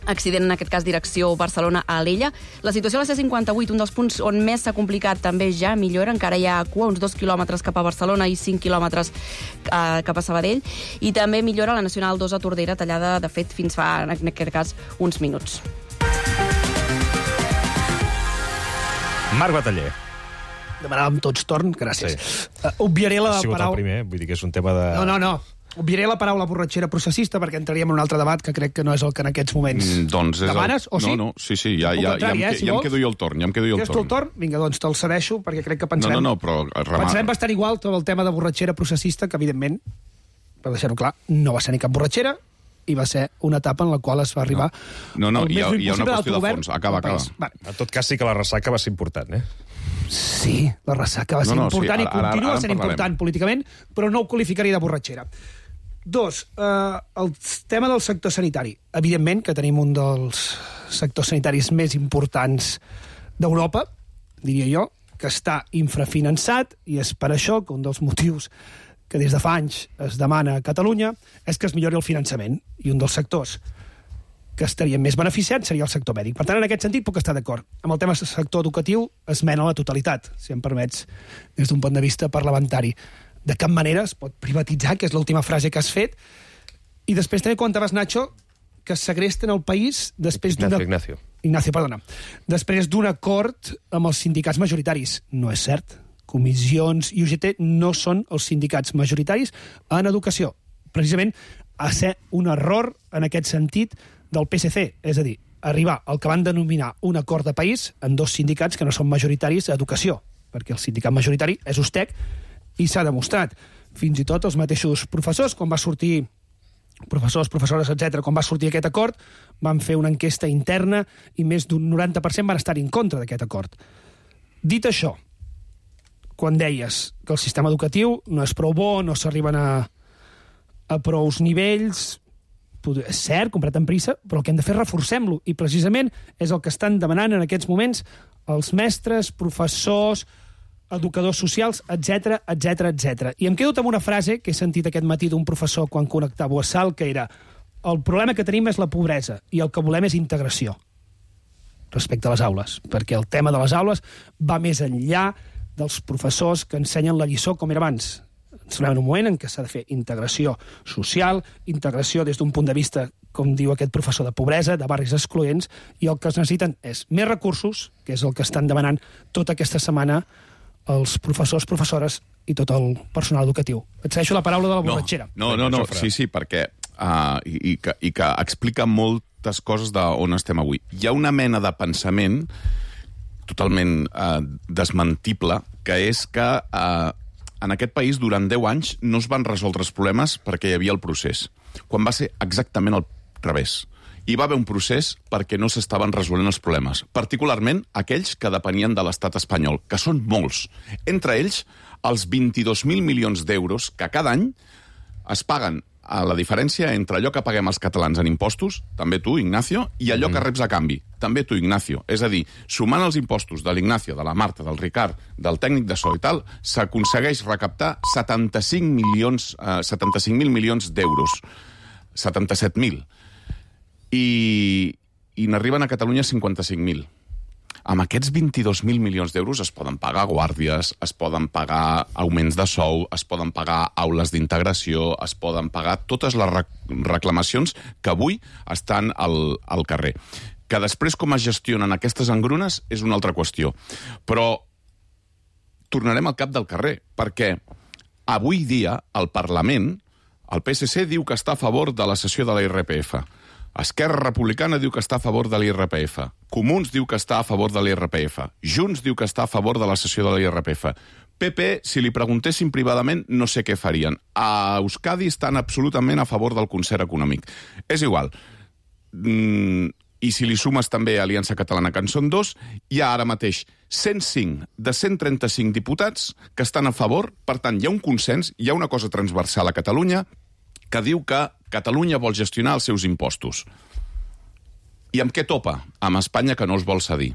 [SPEAKER 9] accident, en aquest cas direcció Barcelona a Alella. La situació a la C58, un dels punts on més s'ha complicat, també ja millora. Encara hi ha cua, uns 2 quilòmetres cap a Barcelona i 5 quilòmetres cap a Sabadell. I també millora la Nacional 2 a Tordera, tallada, de fet, fins fa, en aquest cas, uns minuts.
[SPEAKER 1] Marc Bataller.
[SPEAKER 10] Demanàvem tots torn, gràcies.
[SPEAKER 1] Sí.
[SPEAKER 10] Obviaré la
[SPEAKER 1] paraula... Ha sigut el primer, vull dir que és un tema de...
[SPEAKER 10] No. Obviaré la paraula borratxera processista perquè entraríem en un altre debat que crec que no és el que en aquests moments demanes, o sí?
[SPEAKER 11] No, sí, ja em quedo jo el torn.
[SPEAKER 10] Quedes tu el torn? Vinga, doncs te'l cedeixo, perquè crec que pensarem...
[SPEAKER 11] però...
[SPEAKER 10] Pensarem bastant igual tot el tema de borratxera processista, que evidentment, per deixar-ho clar, no va ser ni cap borratxera, i va ser una etapa en la qual es va arribar...
[SPEAKER 11] No, hi ha una qüestió de fons. Acaba.
[SPEAKER 1] En tot cas, sí que la ressaca va ser important,
[SPEAKER 10] Sí, la ressaca va ser important i continua sent important políticament, però no ho qualificaria de borratxera. 2, el tema del sector sanitari. Evidentment que tenim un dels sectors sanitaris més importants d'Europa, diria jo, que està infrafinançat, i és per això que un dels motius que des de fa anys es demana a Catalunya és que es millori el finançament, i un dels sectors que estarien més beneficiats seria el sector mèdic. Per tant, en aquest sentit puc estar d'acord. Amb el tema del sector educatiu, esmena a la totalitat, si em permets, des d'un punt de vista parlamentari. De cap manera es pot privatitzar, que és l'última frase que has fet. I després també comentaves, Nacho, que segresten el país després Ignacio, perdona. Després d'un acord amb els sindicats majoritaris. No és cert. Comissions i UGT no són els sindicats majoritaris en educació. Precisament a ser un error en aquest sentit del PSC, és a dir, arribar al que van denominar un acord de país en dos sindicats que no són majoritaris a educació, perquè el sindicat majoritari és USTEC, i s'ha demostrat. Fins i tot els mateixos professors, quan va sortir professors, professores, etc., quan va sortir aquest acord, van fer una enquesta interna i més d'un 90% van estar en contra d'aquest acord. Dit això, quan deies que el sistema educatiu no és prou bo, no s'arriben a prous nivells, és cert, comprat amb pressa, però el que hem de fer és reforcem-lo, i precisament és el que estan demanant en aquests moments els mestres, professors, educadors socials, etc. I em quedo amb una frase que he sentit aquest matí d'un professor quan connectava a Sal, que era: el problema que tenim és la pobresa i el que volem és integració respecte a les aules, perquè el tema de les aules va més enllà dels professors que ensenyen la lliçó com era abans. Ens trobem en un moment en què s'ha de fer integració social, integració des d'un punt de vista, com diu aquest professor, de pobresa, de barris excloents, i el que es necessiten és més recursos, que és el que estan demanant tota aquesta setmana els professors, professores i tot el personal educatiu. Et cedeixo la paraula de la borratxera.
[SPEAKER 11] No, sí, perquè i que explica moltes coses d'on estem avui. Hi ha una mena de pensament totalment desmentible, que és que en aquest país durant 10 anys no es van resoldre els problemes perquè hi havia el procés, quan va ser exactament al revés. Hi va haver un procés perquè no s'estaven resolent els problemes, particularment aquells que depenien de l'estat espanyol, que són molts. Entre ells, els 22.000 milions d'euros que cada any es paguen a la diferència entre allò que paguem els catalans en impostos, també tu, Ignacio, i allò que reps a canvi, també tu, Ignacio. És a dir, sumant els impostos de l'Ignacio, de la Marta, del Ricard, del tècnic de so i tal, s'aconsegueix recaptar 75.000 milions d'euros. 77.000. I n'arriben a Catalunya 55.000. Amb aquests 22.000 milions d'euros es poden pagar guàrdies, es poden pagar augments de sou, es poden pagar aules d'integració, es poden pagar totes les reclamacions que avui estan al carrer. Que després com es gestionen aquestes engrunes és una altra qüestió. Però tornarem al cap del carrer, perquè avui dia el Parlament, el PSC diu que està a favor de la cessió de la IRPF. Esquerra Republicana diu que està a favor de l'IRPF. Comuns diu que està a favor de l'IRPF. Junts diu que està a favor de la cessió de l'IRPF. PP, si li preguntessin privadament, no sé què farien. A Euskadi estan absolutament a favor del concert econòmic. És igual. I si li sumes també Aliança Catalana, que en són 2, hi ha ara mateix 105 de 135 diputats que estan a favor. Per tant, hi ha un consens, hi ha una cosa transversal a Catalunya que diu que Catalunya vol gestionar els seus impostos. I amb què topa? Amb Espanya, que no els vol cedir.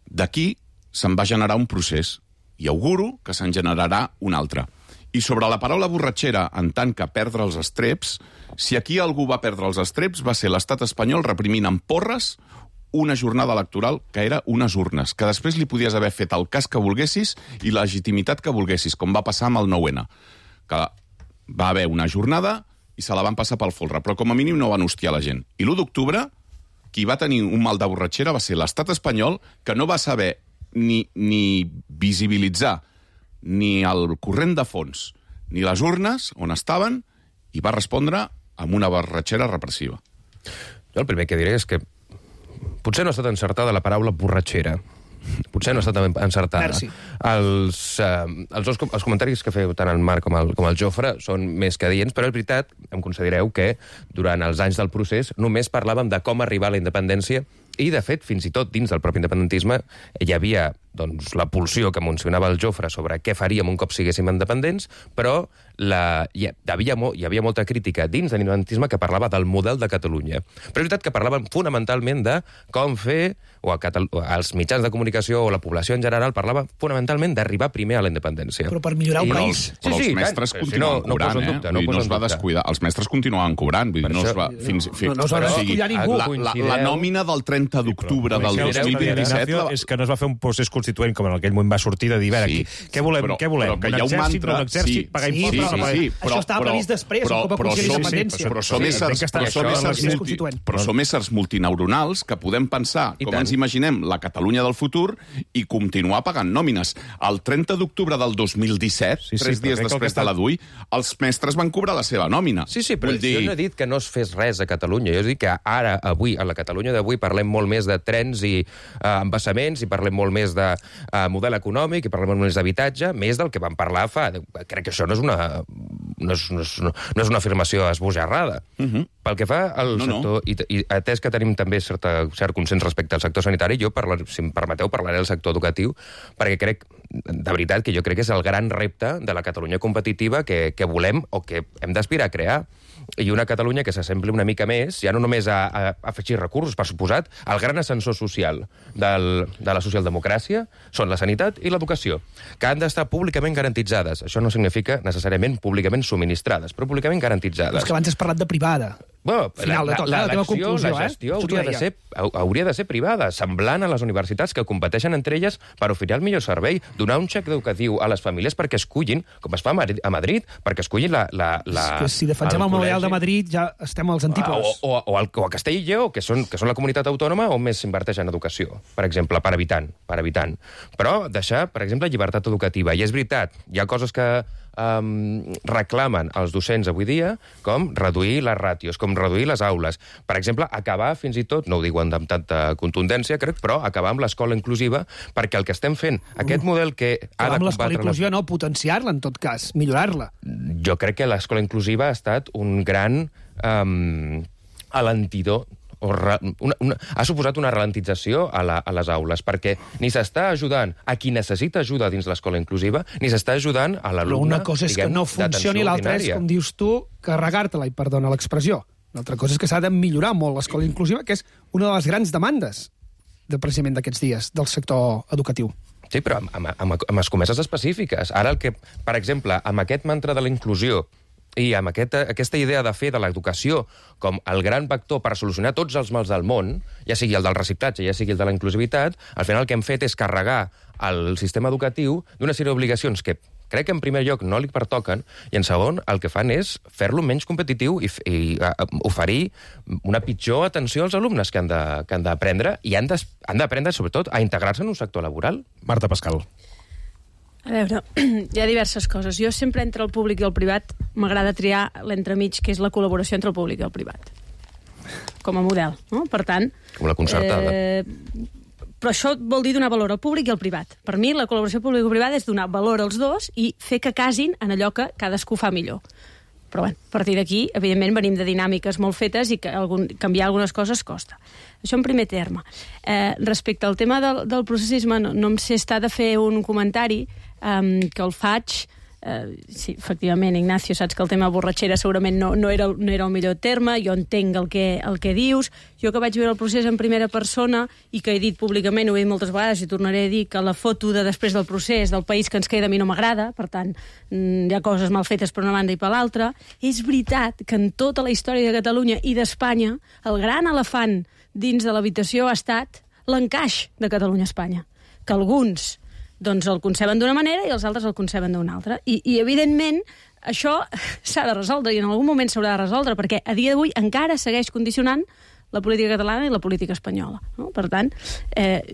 [SPEAKER 11] D'aquí se'n va generar un procés, i auguro que se'n generarà un altre. I sobre la paraula borratxera, en tant que perdre els estreps, si aquí algú va perdre els estreps, va ser l'estat espanyol reprimint amb porres una jornada electoral que era unes urnes, que després li podies haver fet el cas que volguessis i la legitimitat que volguessis, com va passar amb el 9-N. Que va haver una jornada i se la van passar pel folre, però com a mínim no van hostiar la gent. I l'1 d'octubre, qui va tenir un mal de borratxera va ser l'estat espanyol, que no va saber ni visibilitzar ni el corrent de fons, ni les urnes on estaven, i va respondre amb una borratxera repressiva.
[SPEAKER 8] Jo el primer que diré és que potser no ha estat encertada la paraula borratxera. Potser no ha estat encertada.
[SPEAKER 10] Merci.
[SPEAKER 8] Els comentaris que feu tant el Marc com el Jofre són més que adients, però és veritat, em considereu que durant els anys del procés només parlàvem de com arribar a la independència i, de fet, fins i tot dins del propi independentisme hi havia la pulsió que mencionava el Jofre sobre què faríem un cop siguéssim independents, però hi havia molta crítica dins de l'independentisme que parlava del model de Catalunya. Però és veritat que parlaven fonamentalment de com fer, o els mitjans de comunicació o la població en general parlava fonamentalment d'arribar primer a la independència.
[SPEAKER 10] Però per millorar un país.
[SPEAKER 11] Però els mestres continuen cobrant, no es va descuidar. Els mestres continuen cobrant, no es va
[SPEAKER 10] descuidar ningú.
[SPEAKER 11] La nòmina del 30 d'octubre del 2027...
[SPEAKER 1] És que no es va fer un procés constituent com en aquell moment va sortir de dir, què volem? Un exèrcit, no un exèrcit, pagar impostos...
[SPEAKER 10] Això estava previst després, un cop aconseguir l'independència.
[SPEAKER 11] Però som éssers multineuronals que podem pensar com ens imaginem la Catalunya del futur i continuar pagant nòmines. El 30 d'octubre del 2017, 3 dies després de la DUI, els mestres van cobrar la seva nòmina.
[SPEAKER 8] Sí, però jo no he dit que no es fes res a Catalunya. Jo he dit que ara, avui, a la Catalunya d'avui, parlem molt més de trens i embassaments, i parlem molt més de model econòmic, i parlem molt més d'habitatge, més del que vam parlar fa... Crec que això no és una afirmació esbojarrada. Pel que fa al sector, i atès que tenim també cert consens respecte al sector sanitari, jo, si em permeteu, parlaré del sector educatiu, perquè crec, de veritat, que jo crec que és el gran repte de la Catalunya competitiva que volem o que hem d'aspirar a crear. I una Catalunya que s'assembli una mica més, ja no només a afegir recursos, per suposat, el gran ascensor social de la socialdemocràcia són la sanitat i l'educació, que han d'estar públicament garantitzades. Això no significa necessàriament públicament subministrades, però públicament garantitzades.
[SPEAKER 10] És que abans has parlat de privada. Final de tot, la teva conclusió,
[SPEAKER 8] la gestió hauria de ser privada, semblant a les universitats que competeixen entre elles per oferir el millor servei, donar un xec educatiu a les famílies perquè escullin, com es fa a Madrid, perquè escullin
[SPEAKER 10] que si defensem el model de Madrid ja estem als antípodes.
[SPEAKER 8] O a Castella i Lleó, que són la comunitat autònoma on més s'inverteix en educació, per exemple, per habitant. Però deixar, per exemple, llibertat educativa. I és veritat, hi ha coses que reclamen els docents avui dia, com reduir les ràtios, com reduir les aules. Per exemple, acabar fins i tot, no ho diuen amb tanta contundència, crec, però acabar amb l'escola inclusiva, perquè el que estem fent, aquest model que ha de combatre...
[SPEAKER 10] Amb l'escola inclusiva no, potenciar-la, en tot cas, millorar-la.
[SPEAKER 8] Jo crec que l'escola inclusiva ha estat un gran alentidor, ha suposat una ralentització a les aules, perquè ni s'està ajudant a qui necessita ajuda dins l'escola inclusiva, ni s'està ajudant a l'alumne,
[SPEAKER 10] una cosa és que no funcioni, l'altra és, com dius tu, carregar-te-la, i perdona l'expressió. L'altra cosa és que s'ha de millorar molt l'escola inclusiva, que és una de les grans demandes precisament d'aquests dies del sector educatiu.
[SPEAKER 8] Sí, però amb escomeses específiques. Ara, per exemple, amb aquest mantra de la inclusió i amb aquesta idea de fer de l'educació com el gran vector per solucionar tots els mals del món, ja sigui el del reciclatge, ja sigui el de la inclusivitat, al final el que hem fet és carregar el sistema educatiu d'una sèrie d'obligacions que crec que en primer lloc no li pertoquen, i en segon el que fan és fer-lo menys competitiu i oferir una pitjor atenció als alumnes que han d'aprendre, i han d'aprendre sobretot a integrar-se en un sector laboral.
[SPEAKER 1] Marta Pascal.
[SPEAKER 9] A veure, hi ha diverses coses. Jo sempre entre el públic i el privat m'agrada triar l'entremig, que és la col·laboració entre el públic i el privat. Com a model, no? Per tant...
[SPEAKER 8] Com la concertada.
[SPEAKER 9] Però això vol dir donar valor al públic i al privat. Per mi, la col·laboració públic-privada és donar valor als dos i fer que casin en allò que cadascú fa millor. Però bé, a partir d'aquí, evidentment, venim de dinàmiques molt fetes i que canviar algunes coses costa. Això en primer terme. Respecte al tema del processisme, no em sé estar de fer un comentari que el faig... Sí, efectivament, Ignacio, saps que el tema borratxera segurament no era el millor terme, jo entenc el que dius. Jo que vaig veure el procés en primera persona i que he dit públicament, ho he dit moltes vegades i tornaré a dir que la foto de després del procés del país que ens queda a mi no m'agrada, per tant, hi ha coses mal fetes per una banda i per l'altra. És veritat que en tota la història de Catalunya i d'Espanya, el gran elefant dins de l'habitació ha estat l'encaix de Catalunya a Espanya, que alguns doncs el conceben d'una manera i els altres el conceben d'una altra. I evidentment, això s'ha de resoldre i en algun moment s'haurà de resoldre, perquè a dia d'avui encara segueix condicionant la política catalana i la política espanyola. No? Per tant,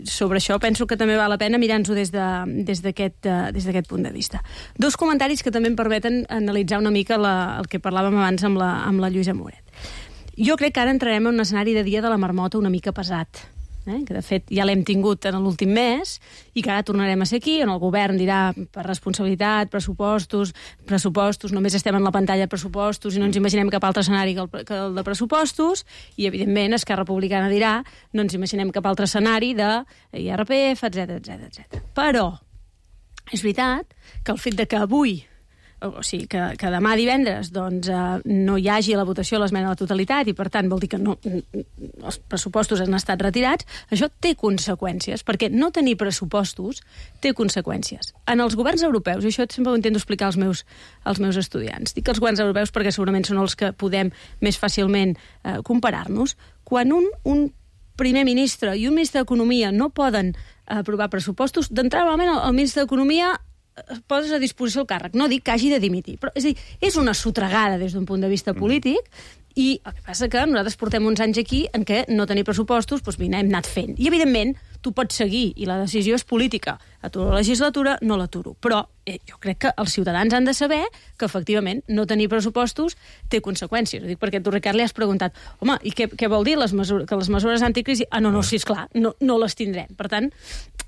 [SPEAKER 9] sobre això penso que també val la pena mirar-nos-ho des d'aquest punt de vista. Dos comentaris que també em permeten analitzar una mica el que parlàvem abans amb la Lluïsa Moret. Jo crec que ara entrarem en un escenari de dia de la marmota una mica pesat, que de fet ja l'hem tingut en l'últim mes i que ara tornarem a ser aquí, on el govern dirà per responsabilitat, pressupostos, només estem en la pantalla de pressupostos i no ens imaginem cap altre escenari que el de pressupostos, i evidentment Esquerra Republicana dirà no ens imaginem cap altre escenari de IRPF, etc. Però és veritat que el fet de que avui, o sigui, que demà divendres doncs, no hi hagi la votació a l'esmena a la totalitat i, per tant, vol dir que els pressupostos han estat retirats, això té conseqüències, perquè no tenir pressupostos té conseqüències. En els governs europeus, i això sempre ho intento explicar als meus estudiants, dic els governs europeus perquè segurament són els que podem més fàcilment comparar-nos, quan un primer ministre i un ministre d'Economia no poden aprovar pressupostos, d'entrada, normalment el ministre d'Economia poses a disposició el càrrec. No dic que hagi de dimitir, però és a dir, és una sotregada des d'un punt de vista polític, i el que passa que nosaltres portem uns anys aquí en què no tenir pressupostos, doncs vine, hem anat fent. I, evidentment, tu pots seguir, i la decisió és política. Aturo la legislatura, no l'aturo. Però jo crec que els ciutadans han de saber que, efectivament, no tenir pressupostos té conseqüències. Ho dic perquè tu, Ricard, li has preguntat, home, i què vol dir que les mesures anticrisi? No, sí, esclar, no les tindrem. Per tant,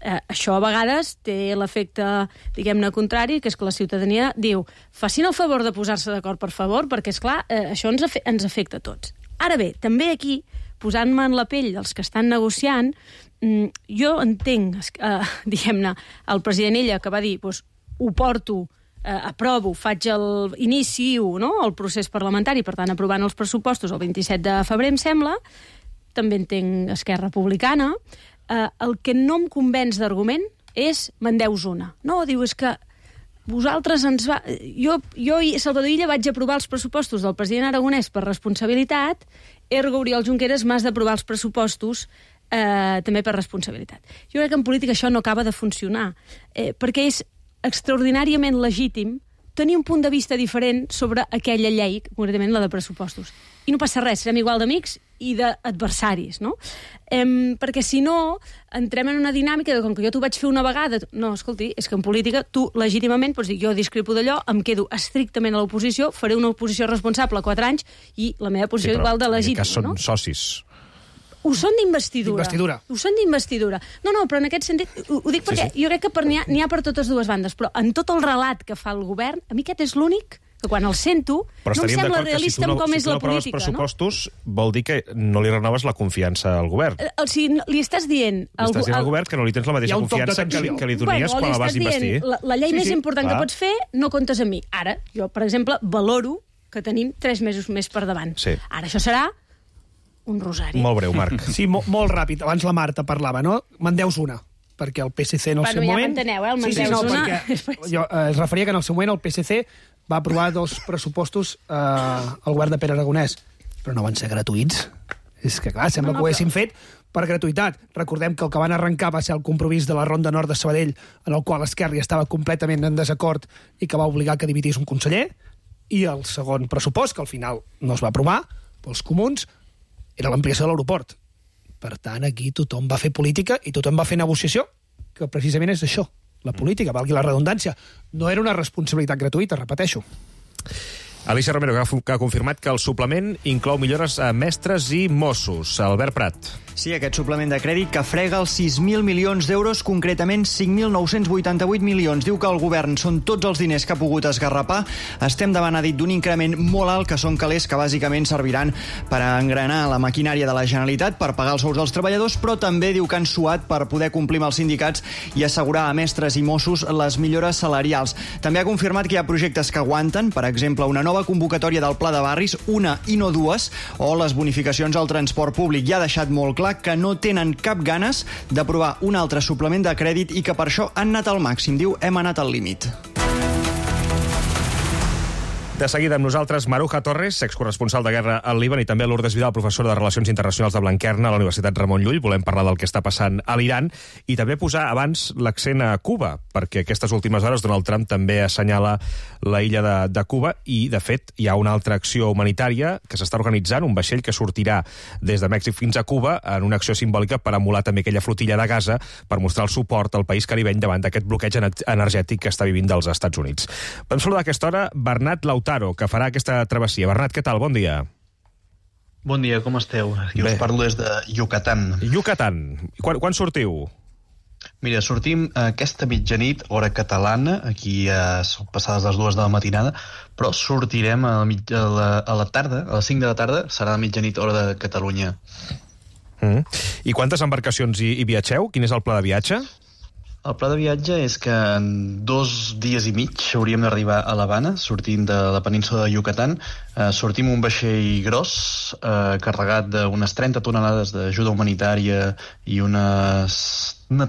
[SPEAKER 9] això a vegades té l'efecte, diguem-ne, contrari, que és que la ciutadania diu, facin el favor de posar-se d'acord, per favor, perquè, esclar, això ens afecta a tots. Ara bé, també aquí, posant-me en la pell dels que estan negociant, jo entenc, diguem-ne, el president Illa, que va dir, doncs, ho porto, aprovo, inicio el procés parlamentari, per tant, aprovant els pressupostos el 27 de febrer, em sembla, també entenc Esquerra Republicana. El que no em convenç d'argument és me'n deus una. No, diu, és que vosaltres ens va... Jo i Salvador Illa vaig aprovar els pressupostos del president Aragonès per responsabilitat, ergo Oriol Junqueras m'has d'aprovar els pressupostos també per responsabilitat. Jo crec que en política això no acaba de funcionar, perquè és extraordinàriament legítim tenir un punt de vista diferent sobre aquella llei, concretament la de pressupostos. I no passa res, serem igual d'amics i d'adversaris, no? Perquè si no, entrem en una dinàmica de com que jo t'ho vaig fer una vegada... No, escolti, és que en política tu legítimament pots dir jo discrepo d'allò, em quedo estrictament a l'oposició, faré una oposició responsable 4 anys i la meva posició igual de legítima,
[SPEAKER 1] no? Són socis.
[SPEAKER 9] Ho són d'investidura. Ho són d'investidura. No, però en aquest sentit, ho dic perquè jo crec que n'hi ha per totes dues bandes, però en tot el relat que fa el govern, a mi aquest és l'únic que quan el sento no em sembla realista com és la política.
[SPEAKER 1] Si tu no aproves pressupostos, vol dir que no li renoves la confiança al govern.
[SPEAKER 9] O sigui, li estàs dient...
[SPEAKER 1] Li estàs dient al govern que no li tens la mateixa confiança que li donies quan la vas investir.
[SPEAKER 9] La llei més important que pots fer, no comptes amb mi. Ara, jo, per exemple, valoro que tenim 3 mesos més per davant. Ara això serà un rosari.
[SPEAKER 1] Molt breu, Marc.
[SPEAKER 10] Sí, molt ràpid. Abans la Marta parlava, no? Me'n deus una, perquè el PSC en el seu moment...
[SPEAKER 9] Bueno, ja m'enteneu, el me'n deus una.
[SPEAKER 10] Jo es referia que en el seu moment el PSC va aprovar 2 pressupostos al govern de Pere Aragonès, però no van ser gratuïts. És que, clar, sembla que ho haguessin fet per gratuïtat. Recordem que el que van arrencar va ser el compromís de la Ronda Nord de Sabadell, en el qual Esquerra estava completament en desacord i que va obligar que dimitís un conseller, i el segon pressupost, que al final no es va aprovar, pels comuns, era l'ampliació de l'aeroport. Per tant, aquí tothom va fer política i tothom va fer negociació, que precisament és això, la política, valgui la redundància. No era una responsabilitat gratuïta, repeteixo.
[SPEAKER 1] Alicia Romero, que ha confirmat que el suplement inclou millores a mestres i Mossos. Albert Prat.
[SPEAKER 12] Sí, aquest suplement de crèdit que frega els 6.000 milions d'euros, concretament 5.988 milions. Diu que el govern són tots els diners que ha pogut esgarrapar. Estem davant, ha dit, d'un increment molt alt, que són calés que bàsicament serviran per engranar la maquinària de la Generalitat, per pagar els sous dels treballadors, però també diu que han suat per poder complir amb els sindicats i assegurar a mestres i Mossos les millores salarials. També ha confirmat que hi ha projectes que aguanten, per exemple, una nova convocatòria del Pla de Barris, una i no dues, o les bonificacions al transport públic. Ja ha deixat molt clar que no tenen cap ganes d'aprovar un altre suplement de crèdit i que per això han anat al màxim. Diu, hem anat al límit.
[SPEAKER 1] De seguida amb nosaltres, Maruja Torres, excorresponsal de guerra al Líban, i també Lourdes Vidal, professora de Relacions Internacionals de Blanquerna a la Universitat Ramon Llull. Volem parlar del que està passant a l'Iran i també posar abans l'accent a Cuba, perquè aquestes últimes hores Donald Trump també assenyala la illa de Cuba i, de fet, hi ha una altra acció humanitària que s'està organitzant, un vaixell que sortirà des de Mèxic fins a Cuba en una acció simbòlica per emular també aquella flotilla de Gaza per mostrar el suport al país caribeny davant d'aquest bloqueig energètic que està vivint dels Estats Units. Vam saludar a aquesta hora Bernat Lautaro, que farà aquesta travessia. Bernat, què tal? Bon dia.
[SPEAKER 13] Bon dia, com esteu? Aquí us parlo des de Yucatán.
[SPEAKER 1] Yucatán. Quan sortiu?
[SPEAKER 13] Mira, sortim aquesta mitjanit, hora catalana, aquí són passades les 2 de la matinada, però sortirem a la tarda, a les 5 de la tarda, serà la mitjanit, hora de Catalunya.
[SPEAKER 1] I quantes embarcacions hi viatgeu? Quin és el pla de viatge?
[SPEAKER 13] El pla de viatge és que en 2 dies i mig hauríem d'arribar a l'Havana, sortint de la península de Yucatán. Sortim un vaixell gros, carregat d'unes 30 tonelades d'ajuda humanitària i una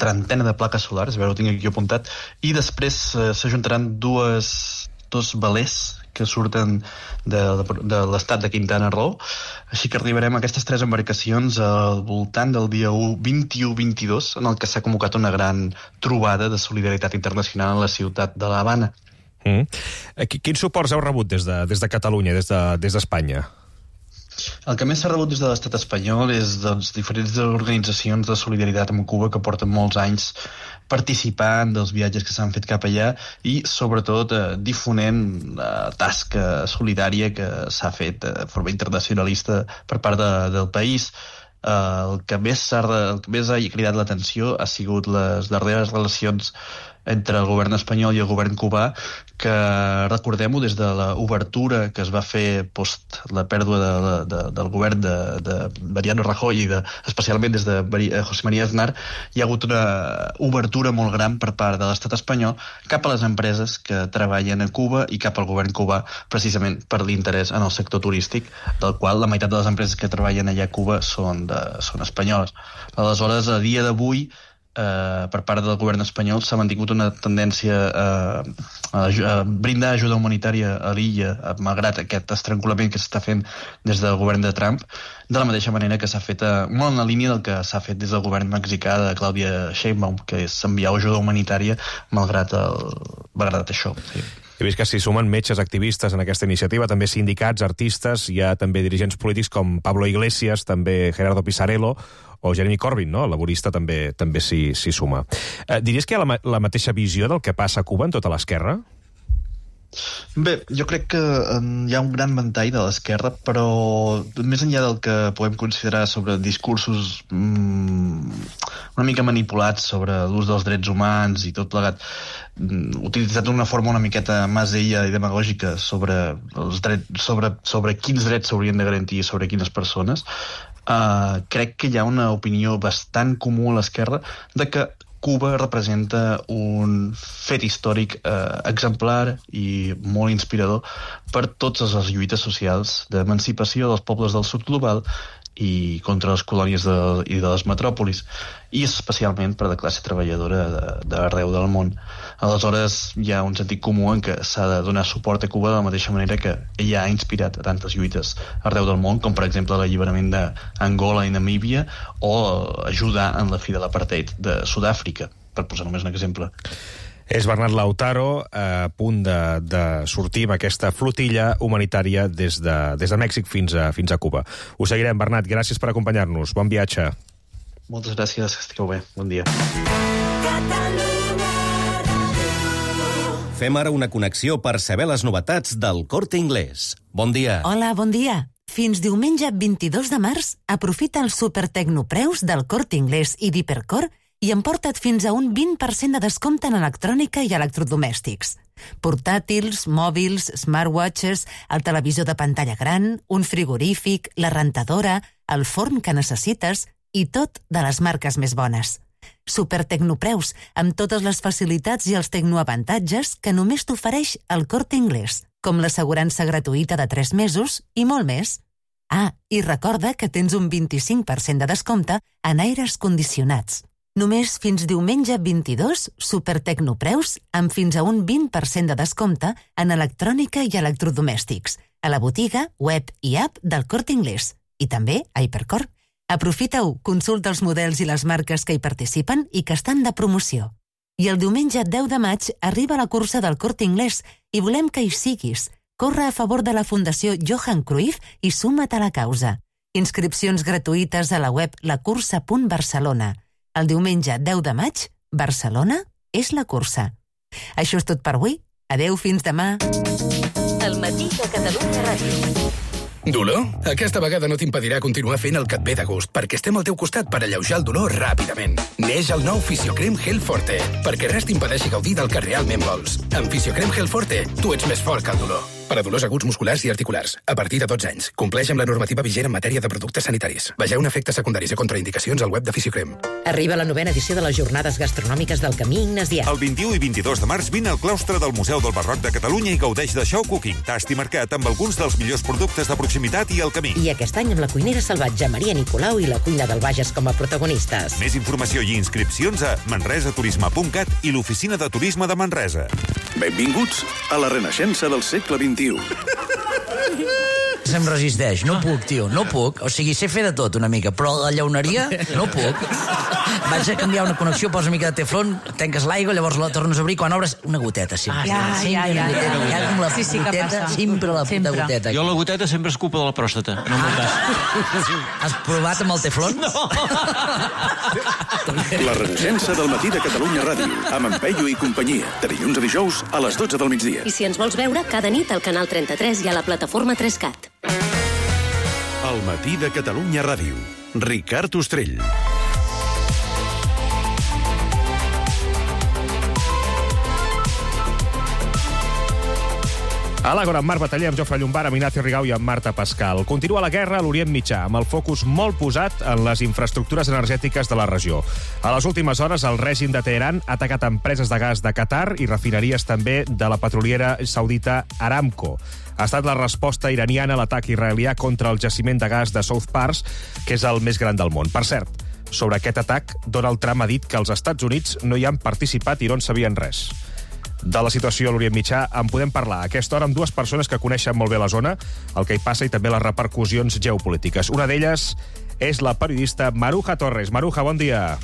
[SPEAKER 13] trentena de plaques solars, a veure, ho tinc aquí apuntat, i després s'ajuntaran dos velers que surten de l'estat de Quintana Roo, així que arribarem a aquestes 3 embarcacions al voltant del dia 21-22, en el que s'ha convocat una gran trobada de solidaritat internacional a la ciutat de l'Havana.
[SPEAKER 1] Quins suports heu rebut des de Catalunya, des d'Espanya?
[SPEAKER 13] El que més s'ha rebut des de l'estat espanyol és diferents organitzacions de solidaritat amb Cuba que porten molts anys participant dels viatges que s'han fet cap allà i, sobretot, difonent la tasca solidària que s'ha fet de forma internacionalista per part del país. El que més ha cridat l'atenció ha sigut les darreres relacions entre el govern espanyol i el govern cubà, que, recordem-ho, des de l'obertura que es va fer post la pèrdua del govern de Mariano Rajoy i especialment des de José María Aznar, hi ha hagut una obertura molt gran per part de l'estat espanyol cap a les empreses que treballen a Cuba i cap al govern cubà, precisament per l'interès en el sector turístic, del qual la meitat de les empreses que treballen allà a Cuba són espanyoles. Aleshores, a dia d'avui, per part del govern espanyol s'ha mantingut una tendència a brindar ajuda humanitària a l'illa, malgrat aquest estrancolament que s'està fent des del govern de Trump, de la mateixa manera que s'ha fet molt en la línia del que s'ha fet des del govern mexicà de Claudia Sheinbaum, que és enviar ajuda humanitària malgrat això. Sí.
[SPEAKER 1] He vist que s'hi sumen metges activistes en aquesta iniciativa, també sindicats, artistes, hi ha també dirigents polítics com Pablo Iglesias, també Gerardo Pisarello o Jeremy Corbyn, no? El laborista també s'hi suma. Diries que hi ha la mateixa visió del que passa a Cuba en tota l'esquerra?
[SPEAKER 13] Bé, jo crec que hi ha un gran ventall de l'esquerra, però més enllà del que podem considerar sobre discursos una mica manipulats sobre l'ús dels drets humans i tot plegat, utilitzat d'una forma una miqueta masella i demagògica sobre quins drets s'haurien de garantir sobre quines persones, crec que hi ha una opinió bastant comú a l'esquerra de que Cuba representa un fet històric exemplar i molt inspirador per totes les lluites socials d'emancipació dels pobles del sud global i contra les colònies i de les metròpolis, i especialment per la classe treballadora d'arreu del món. Aleshores, hi ha un sentit comú en què s'ha de donar suport a Cuba de la mateixa manera que ella ha inspirat a tantes lluites arreu del món, com per exemple l'alliberament d'Angola i Namíbia o ajudar en la fi de l'apartheid de Sud-àfrica, per posar només un exemple.
[SPEAKER 1] És Bernat Lautaro, a punt de sortir amb aquesta flotilla humanitària des de Mèxic fins a Cuba. Ho seguirem, Bernat. Gràcies per acompanyar-nos. Bon viatge.
[SPEAKER 13] Moltes gràcies, que estigueu bé. Bon dia.
[SPEAKER 15] Fem ara una connexió per saber les novetats del Corte Inglés. Bon dia.
[SPEAKER 16] Hola, bon dia. Fins diumenge 22 de març, aprofita els supertecnopreus del Corte Inglés i d'Hipercor i emporta't fins a un 20% de descompte en electrònica i electrodomèstics. Portàtils, mòbils, smartwatches, el televisor de pantalla gran, un frigorífic, la rentadora, el forn que necessites i tot de les marques més bones. Supertecnopreus, amb totes les facilitats i els tecnoavantatges que només t'ofereix el Corte Inglés, com l'assegurança gratuïta de 3 mesos i molt més. Ah, i recorda que tens un 25% de descompte en aires condicionats. Només fins diumenge 22, supertecnopreus amb fins a un 20% de descompte en electrònica i electrodomèstics, a la botiga, web i app del Corte Inglés, i també a Hipercor. Aprofita-ho, consulta els models i les marques que hi participen i que estan de promoció. I el diumenge 10 de maig arriba la cursa del Corte Inglés i volem que hi siguis. Corre a favor de la Fundació Johan Cruyff i suma't a la causa. Inscripcions gratuïtes a la web lacursa.barcelona. El diumenge 10 de maig, Barcelona és la cursa. Això és tot per avui. Adeu, fins demà.
[SPEAKER 14] El matí de Catalunya Ràdio.
[SPEAKER 17] Dolor? Aquesta vegada no t'impedirà continuar fent el que et ve de gust, perquè estem al teu costat per alleujar el dolor ràpidament. Neix el nou Fisiocrem Gel Forte, perquè res t'impedeixi gaudir del que realment vols. Amb Fisiocrem Gel Forte, tu ets més fort que el dolor. Per a dolors aguts musculars i articulars, a partir de 12 anys. Compleix amb la normativa vigent en matèria de productes sanitaris. Vegeu efectes secundaris i contraindicacions al web de Fisiocrem.
[SPEAKER 18] Arriba la 9ª edició de les Jornades Gastronòmiques del Camí Ignasià.
[SPEAKER 19] El 21 i 22 de març vine al claustre del Museu del Barroc de Catalunya i gaudeix de show cooking, tast i mercat amb alguns dels millors productes de proximitat i el camí.
[SPEAKER 18] I aquest any amb la cuinera salvatge Maria Nicolau i la cuina del Bages com a protagonistes.
[SPEAKER 19] Més informació i inscripcions a manresaturisme.cat i l'Oficina de Turisme de Manresa.
[SPEAKER 20] Benvinguts a la renaixença del segle XXI.
[SPEAKER 22] Se'm resisteix, no puc, tio, no puc. O sigui, sé fer de tot una mica, però la llauneria no puc. Vaig a canviar una connexió, posa una mica de teflon, tanques l'aigua, llavors la tornes a obrir, quan obres, una goteta, sempre.
[SPEAKER 9] Ja.
[SPEAKER 22] La
[SPEAKER 9] Sí, que
[SPEAKER 22] goteta,
[SPEAKER 9] passa.
[SPEAKER 22] sempre la puta goteta.
[SPEAKER 23] Jo la goteta sempre és culpa de la pròstata, no m'ho cas.
[SPEAKER 22] Has provat amb el teflon?
[SPEAKER 23] No.
[SPEAKER 20] La renaixença del matí de Catalunya Ràdio, amb en Peyu i companyia, de dilluns a dijous a les 12 del migdia.
[SPEAKER 14] I si ens vols veure, cada nit al canal 33 i a la plataforma 3CAT.
[SPEAKER 20] El matí de Catalunya Ràdio. Ricard Ostrell.
[SPEAKER 1] A l'Àgora, amb Marc Bataller, amb Jofre Llombart, amb Ignacio Rigau i amb Marta Pascal. Continua la guerra a l'Orient Mitjà, amb el focus molt posat en les infraestructures energètiques de la regió. A les últimes hores, el règim de Teheran ha atacat empreses de gas de Qatar i refineries també de la petroliera saudita Aramco. Ha estat la resposta iraniana a l'atac israelià contra el jaciment de gas de South Pars, que és el més gran del món. Per cert, sobre aquest atac, Donald Trump ha dit que els Estats Units no hi han participat i no en sabien res. De la situació a l'Orient Mitjà en podem parlar a aquesta hora amb dues persones que coneixen molt bé la zona, el que hi passa i també les repercussions geopolítiques. Una d'elles és la periodista Maruja Torres. Maruja, bon dia.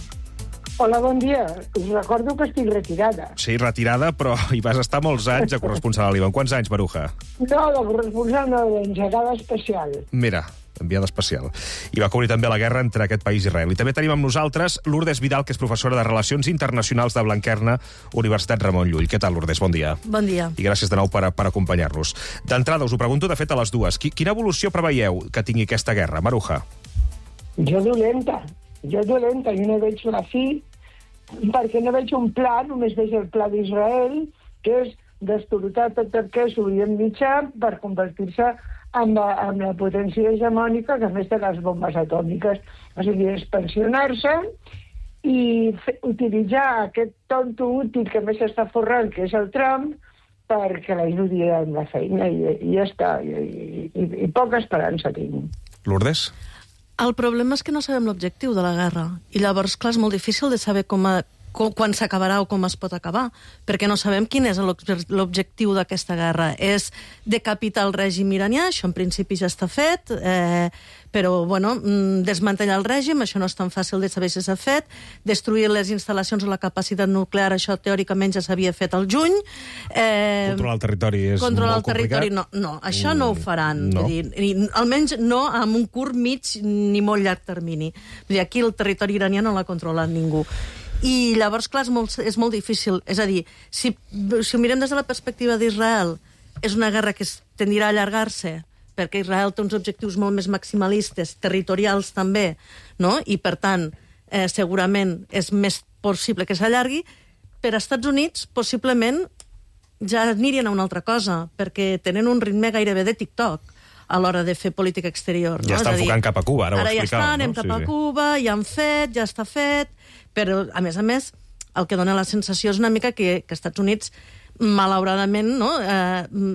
[SPEAKER 2] Hola, bon dia. Us recordo que estic retirada.
[SPEAKER 1] Sí, retirada, però hi vas estar molts anys de corresponsal a Líban. Quants anys, Maruja?
[SPEAKER 2] No, de corresponsal no, d'engegada especial.
[SPEAKER 1] Mira, enviada especial. I va cobrir també la guerra entre aquest país i Israel. I també tenim amb nosaltres Lourdes Vidal, que és professora de Relacions Internacionals de Blanquerna, Universitat Ramon Llull. Què tal, Lourdes? Bon dia.
[SPEAKER 3] Bon dia.
[SPEAKER 1] I gràcies de nou per acompanyar-nos. D'entrada, us ho pregunto, de fet, a les dues. Quina evolució preveieu que tingui aquesta guerra, Maruja?
[SPEAKER 2] Jo dolenta, i no veig la fi, perquè no veig un pla, només veig el pla d'Israel, que és destorotar tot el que és l'Orient Mitjà per convertir-se amb la potència hegemònica, que a més de les bombes atòmiques. O sigui, expansionar-se i utilitzar aquest tonto útil que més està forrant, que és el Trump, perquè l'ajudi amb la feina, i ja està. I poca esperança tinc.
[SPEAKER 1] Lourdes?
[SPEAKER 3] El problema és que no sabem l'objectiu de la guerra. I llavors, clar, és molt difícil de saber quan s'acabarà o com es pot acabar, perquè no sabem quin és l'objectiu d'aquesta guerra. És decapitar el règim iranià, això en principi ja està fet, però, bueno, desmantellar el règim, això no és tan fàcil de saber si s'ha fet, destruir les instal·lacions o la capacitat nuclear, això teòricament ja s'havia fet al juny.
[SPEAKER 1] Controlar el territori és molt complicat?
[SPEAKER 3] No, això no ho faran.
[SPEAKER 1] No.
[SPEAKER 3] Vull dir, almenys no amb un curt, mig ni molt llarg termini. Vull dir, aquí el territori iranià no l'ha controlat ningú. I llavors, clar, és molt difícil. És a dir, si ho mirem des de la perspectiva d'Israel, és una guerra que tendirà a allargar-se, perquè Israel té uns objectius molt més maximalistes, territorials també, no? I, per tant, segurament és més possible que s'allargui. Per als Estats Units, possiblement, ja anirien a una altra cosa, perquè tenen un ritme gairebé de TikTok a l'hora de fer política exterior.
[SPEAKER 1] Ja està enfocant cap a Cuba, ara ho explicàvem.
[SPEAKER 3] Ara ja està, anem cap a Cuba, ja han fet, ja està fet, però, a més, el que dona la sensació és una mica que Estats Units, malauradament, no,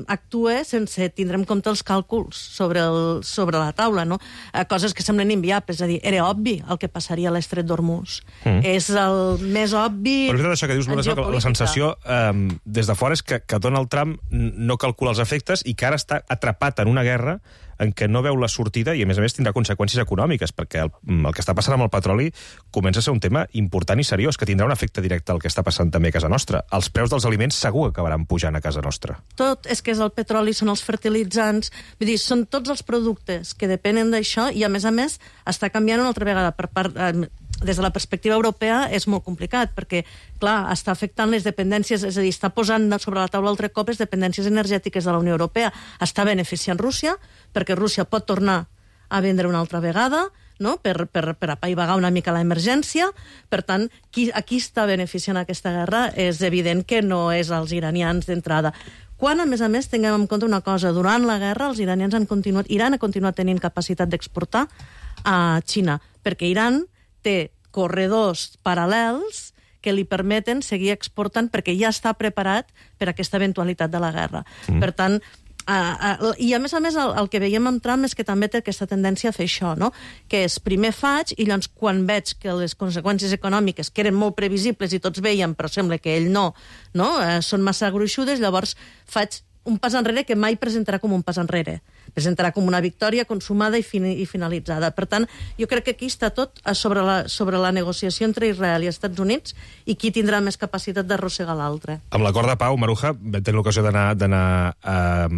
[SPEAKER 3] actua sense tindre en compte els càlculs sobre la taula, no? Coses que semblen inviables. És a dir, era obvi el que passaria a l'estret d'Hormuz. És el més obvi.
[SPEAKER 1] Però és veritat això que dius, la sensació des de fora és que Donald Trump no calcula els efectes i que ara està atrapat en una guerra en què no veu la sortida i, a més tindrà conseqüències econòmiques, perquè el que està passant amb el petroli comença a ser un tema important i seriós, que tindrà un efecte directe al que està passant també a casa nostra. Els preus dels aliments segur que acabaran pujant a casa nostra.
[SPEAKER 3] Tot és que és el petroli, són els fertilitzants, vull dir, són tots els productes que depenen d'això i, a més, està canviant una altra vegada des de la perspectiva europea és molt complicat, perquè, clar, està afectant les dependències, és a dir, està posant sobre la taula altre cop les dependències energètiques de la Unió Europea. Està beneficiant Rússia, perquè Rússia pot tornar a vendre una altra vegada, no? per apaivagar una mica l'emergència. Per tant, a qui està beneficiant aquesta guerra és evident que no és els iranians d'entrada. Quan, a més, tinguem en compte una cosa, durant la guerra els iranians Iran ha continuat tenint capacitat d'exportar a Xina, perquè Iran té corredors paral·lels que li permeten seguir exportant perquè ja està preparat per a aquesta eventualitat de la guerra. Per tant, i a més, el que veiem amb Trump és que també té aquesta tendència a fer això, no? Que és primer faig i llavors quan veig que les conseqüències econòmiques, que eren molt previsibles i tots veiem, però sembla que ell no, són massa gruixudes, llavors faig un pas enrere que mai presentarà com un pas enrere. Presentarà com una victòria consumada i finalitzada. Per tant, jo crec que aquí està tot sobre la negociació entre Israel i Estats Units i qui tindrà més capacitat d'arrossegar l'altre.
[SPEAKER 1] Amb l'acord de pau, Maruja, vam tenir l'ocasió d'anar a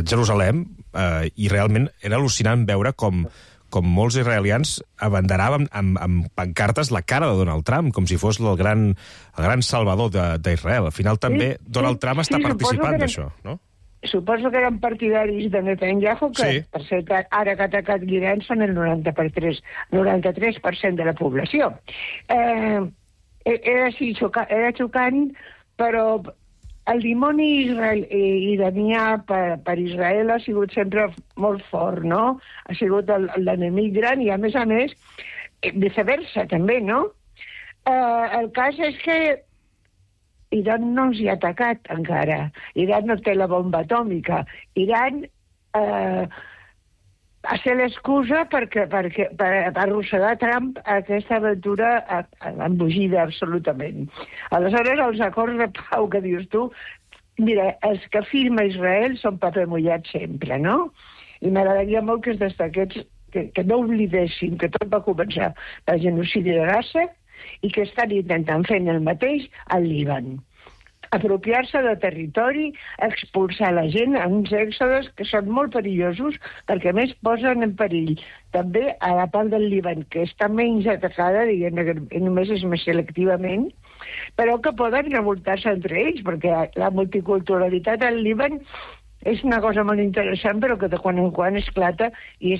[SPEAKER 1] Jerusalem i realment era al·lucinant veure com molts israelians abanderaven amb pancartes la cara de Donald Trump, com si fos el gran salvador d'Israel. Al final també Donald Trump està participant d'això, no?
[SPEAKER 2] Suposo que eren partidaris de Netanyahu, que, per cert, ara que ha atacat l'Iran són el 93% de la població. Era xocant, però el dimoni iranià per Israel ha sigut sempre molt fort, no? Ha sigut l'enemic gran i, a més, viceversa, també, no? El cas és que Iran no ens hi ha atacat encara. Iran no té la bomba atòmica. Iran va ser l'excusa per arrossegar Trump a aquesta aventura embogida absolutament. Aleshores, els acords de pau que dius tu, mira, els que firma Israel són paper mullat sempre, no? I m'agradaria molt que es destaqués, que no oblidessin que tot va començar pel genocidi de Gaza i que estan intentant fer el mateix al Líban. Apropiar-se de territori, expulsar la gent a uns èxodes que són molt perillosos perquè, a més, posen en perill també a la part del Líban, que està menys atacada, diguem que només és més selectivament, però que poden revoltar-se entre ells, perquè la multiculturalitat al Líban és una cosa molt interessant, però que de quan en quan esclata i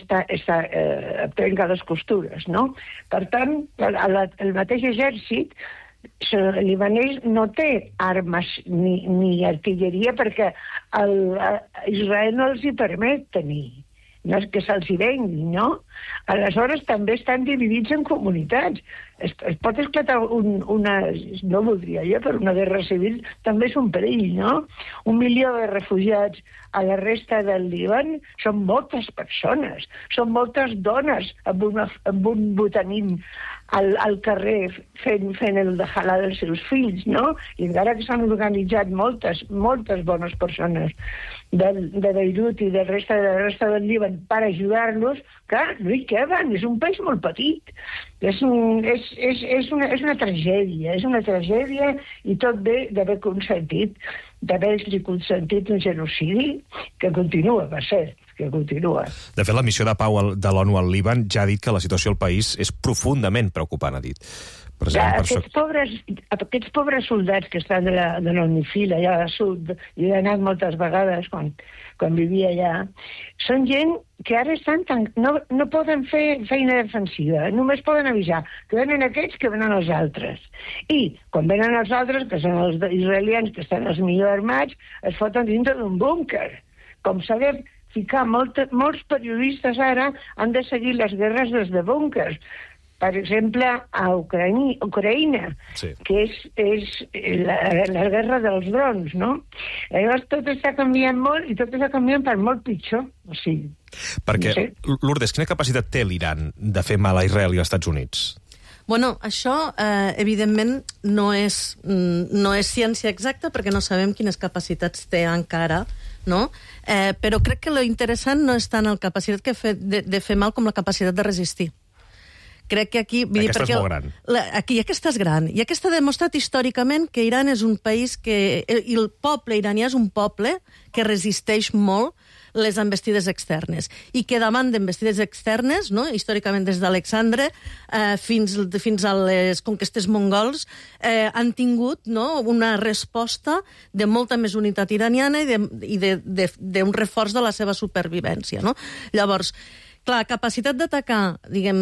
[SPEAKER 2] trenca les costures, no? Per tant, el mateix exèrcit libanès no té armes ni artilleria perquè Israel no els hi permet tenir, no és que se'ls hi vengui, no? Aleshores també estan dividits en comunitats. Es pot esclatar no voldria jo, però una guerra civil també és un perill, no? 1 milió de refugiats a la resta del Líban són moltes persones, són moltes dones amb un botanín al carrer fent el dejalà dels seus fills, no? I encara que s'han organitzat moltes bones persones de Beirut i de la resta del Líban per ajudar-los, clar, no hi queden, és un país molt petit. És una tragèdia i tot ve d'haver consentit un genocidi que continua, per cert, que continua.
[SPEAKER 1] De fet, la missió de pau de l'ONU al Líban ja ha dit que la situació al país és profundament preocupant, ha dit.
[SPEAKER 2] Aquests pobres soldats que estan de la UNIFIL allà al sud, i he anat moltes vegades quan vivia allà, són gent que ara no poden fer feina defensiva, només poden avisar que venen aquests, que venen els altres. I quan venen els altres, que són els israelians que estan els millor armats, es foten dintre d'un búnquer. Com s'ha de ficar, molts periodistes ara han de seguir les guerres des de búnquers. Per exemple, a Ucraïna, sí, que és la guerra dels drons, no? Llavors tot està canviant molt i tot està canviant per molt pitjor. O sigui,
[SPEAKER 1] perquè, no sé. Lourdes, quina capacitat té l'Iran de fer mal a Israel i als Estats Units?
[SPEAKER 3] Bueno, això, evidentment, no és ciència exacta perquè no sabem quines capacitats té encara, no? Però crec que lo interessant no és tant la capacitat de fer mal com la capacitat de resistir. Crec que aquí...
[SPEAKER 1] Aquesta és molt gran.
[SPEAKER 3] Aquesta és gran. I aquesta ha demostrat històricament que Iran és un país que... I el poble iranià és un poble que resisteix molt les envestides externes. I que davant d'envestides externes, no? Històricament des d'Alexandre fins a les conquestes mongols, han tingut, no, una resposta de molta més unitat iraniana i d'un reforç de la seva supervivència, no? Llavors, clar, capacitat d'atacar, diguem,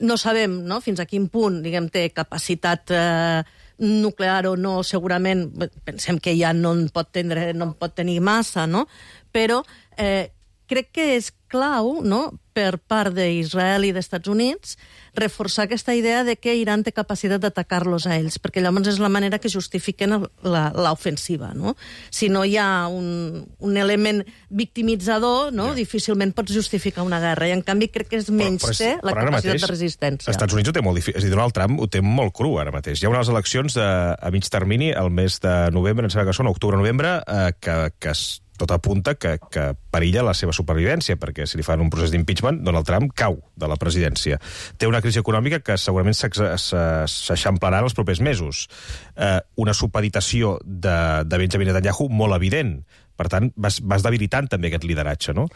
[SPEAKER 3] no sabem, no?, fins a quin punt, diguem, té capacitat nuclear o no, segurament, pensem que ja no en pot tenir massa, no?, però crec que és clau, no?, per part d'Israel i d'Estats Units, reforçar aquesta idea de que Iran té capacitat d'atacar-los a ells, perquè llavors és la manera que justifiquen l'ofensiva, no? Si no hi ha un element victimitzador, no?, difícilment pots justificar una guerra, i en canvi crec que és menys té la capacitat de resistència.
[SPEAKER 1] Els Estats Units ho té molt difícil, és a dir, Donald Trump ho té molt cru ara mateix. Hi ha unes eleccions a mig termini, el mes de novembre, em sembla que són, octubre-novembre, que tot apunta que perilla la seva supervivència, perquè si li fan un procés d'impeachment, Donald Trump cau de la presidència. Té una crisi econòmica que segurament s'eixamplarà en els propers mesos. Una supeditació de Benjamin Netanyahu molt evident. Per tant, vas debilitant també aquest lideratge, no?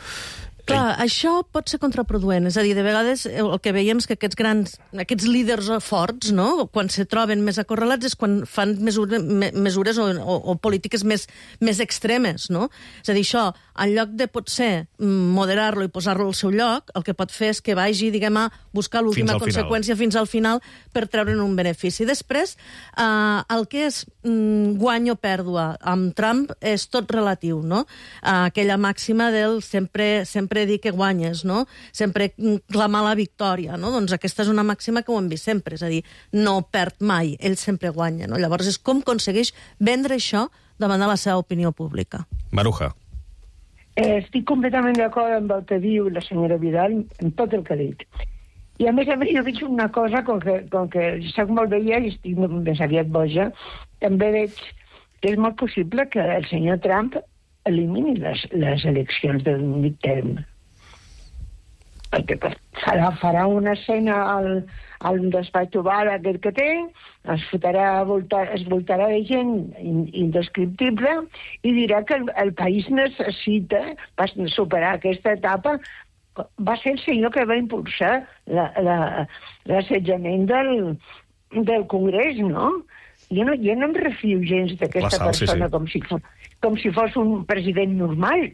[SPEAKER 3] Clar, això pot ser contraproduent. És a dir, de vegades el que veiem és que aquests líders forts, no?, quan se troben més acorralats és quan fan mesures o polítiques més extremes, no? És a dir, això, en lloc de potser moderar-lo i posar-lo al seu lloc, el que pot fer és que vagi, diguem, a buscar l'última conseqüència fins al final per treure'n un benefici. Després, el que és guany o pèrdua amb Trump és tot relatiu, no? Aquella màxima del sempre dir que guanyes, no? Sempre clamar la victòria, no? Doncs aquesta és una màxima que ho hem vist sempre, és a dir, no perd mai, ell sempre guanya, no? Llavors és com aconsegueix vendre això davant de la seva opinió pública.
[SPEAKER 1] Maruja.
[SPEAKER 2] Estic completament d'acord amb el que diu la senyora Vidal, amb tot el que ha dit. I a més, jo veig una cosa, com que soc molt vella i estic més aviat boja, també veig que és molt possible que el senyor Trump elimini les eleccions del midterm. Perquè farà una escena al despatx oval aquest que té, es voltarà de gent indescriptible i dirà que el país necessita superar aquesta etapa. Va ser el senyor que va impulsar l'assetjament del Congrés, no? Jo no em refio gens d'aquesta persona com si fos un president normal.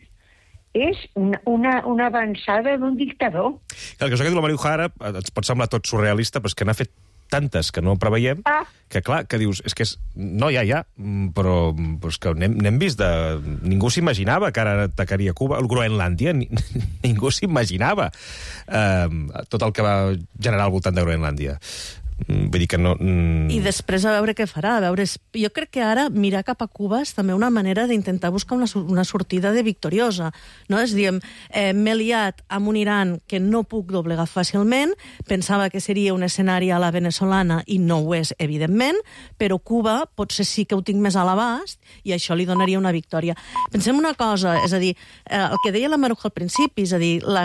[SPEAKER 2] És una avançada d'un dictador.
[SPEAKER 1] El que diu la María Ujara ens pot semblar tot surrealista, però és que n'ha fet tantes que no preveiem, que clar, que dius, és que no, ja, però és que n'hem vist de... Ningú s'imaginava que ara atacaria Cuba, el Groenlàndia, ningú s'imaginava tot el que va generar al voltant de Groenlàndia. Vull dir que no...
[SPEAKER 3] I després a veure què farà. Jo crec que ara mirar cap a Cuba és també una manera d'intentar buscar una sortida de victoriosa. No? És dir, m'he liat amb un Iran que no puc doblegar fàcilment, pensava que seria un escenari a la venezolana i no ho és, evidentment, però Cuba potser sí que ho tinc més a l'abast i això li donaria una victòria. Pensem una cosa, és a dir, el que deia la Maruja al principi, és a dir, la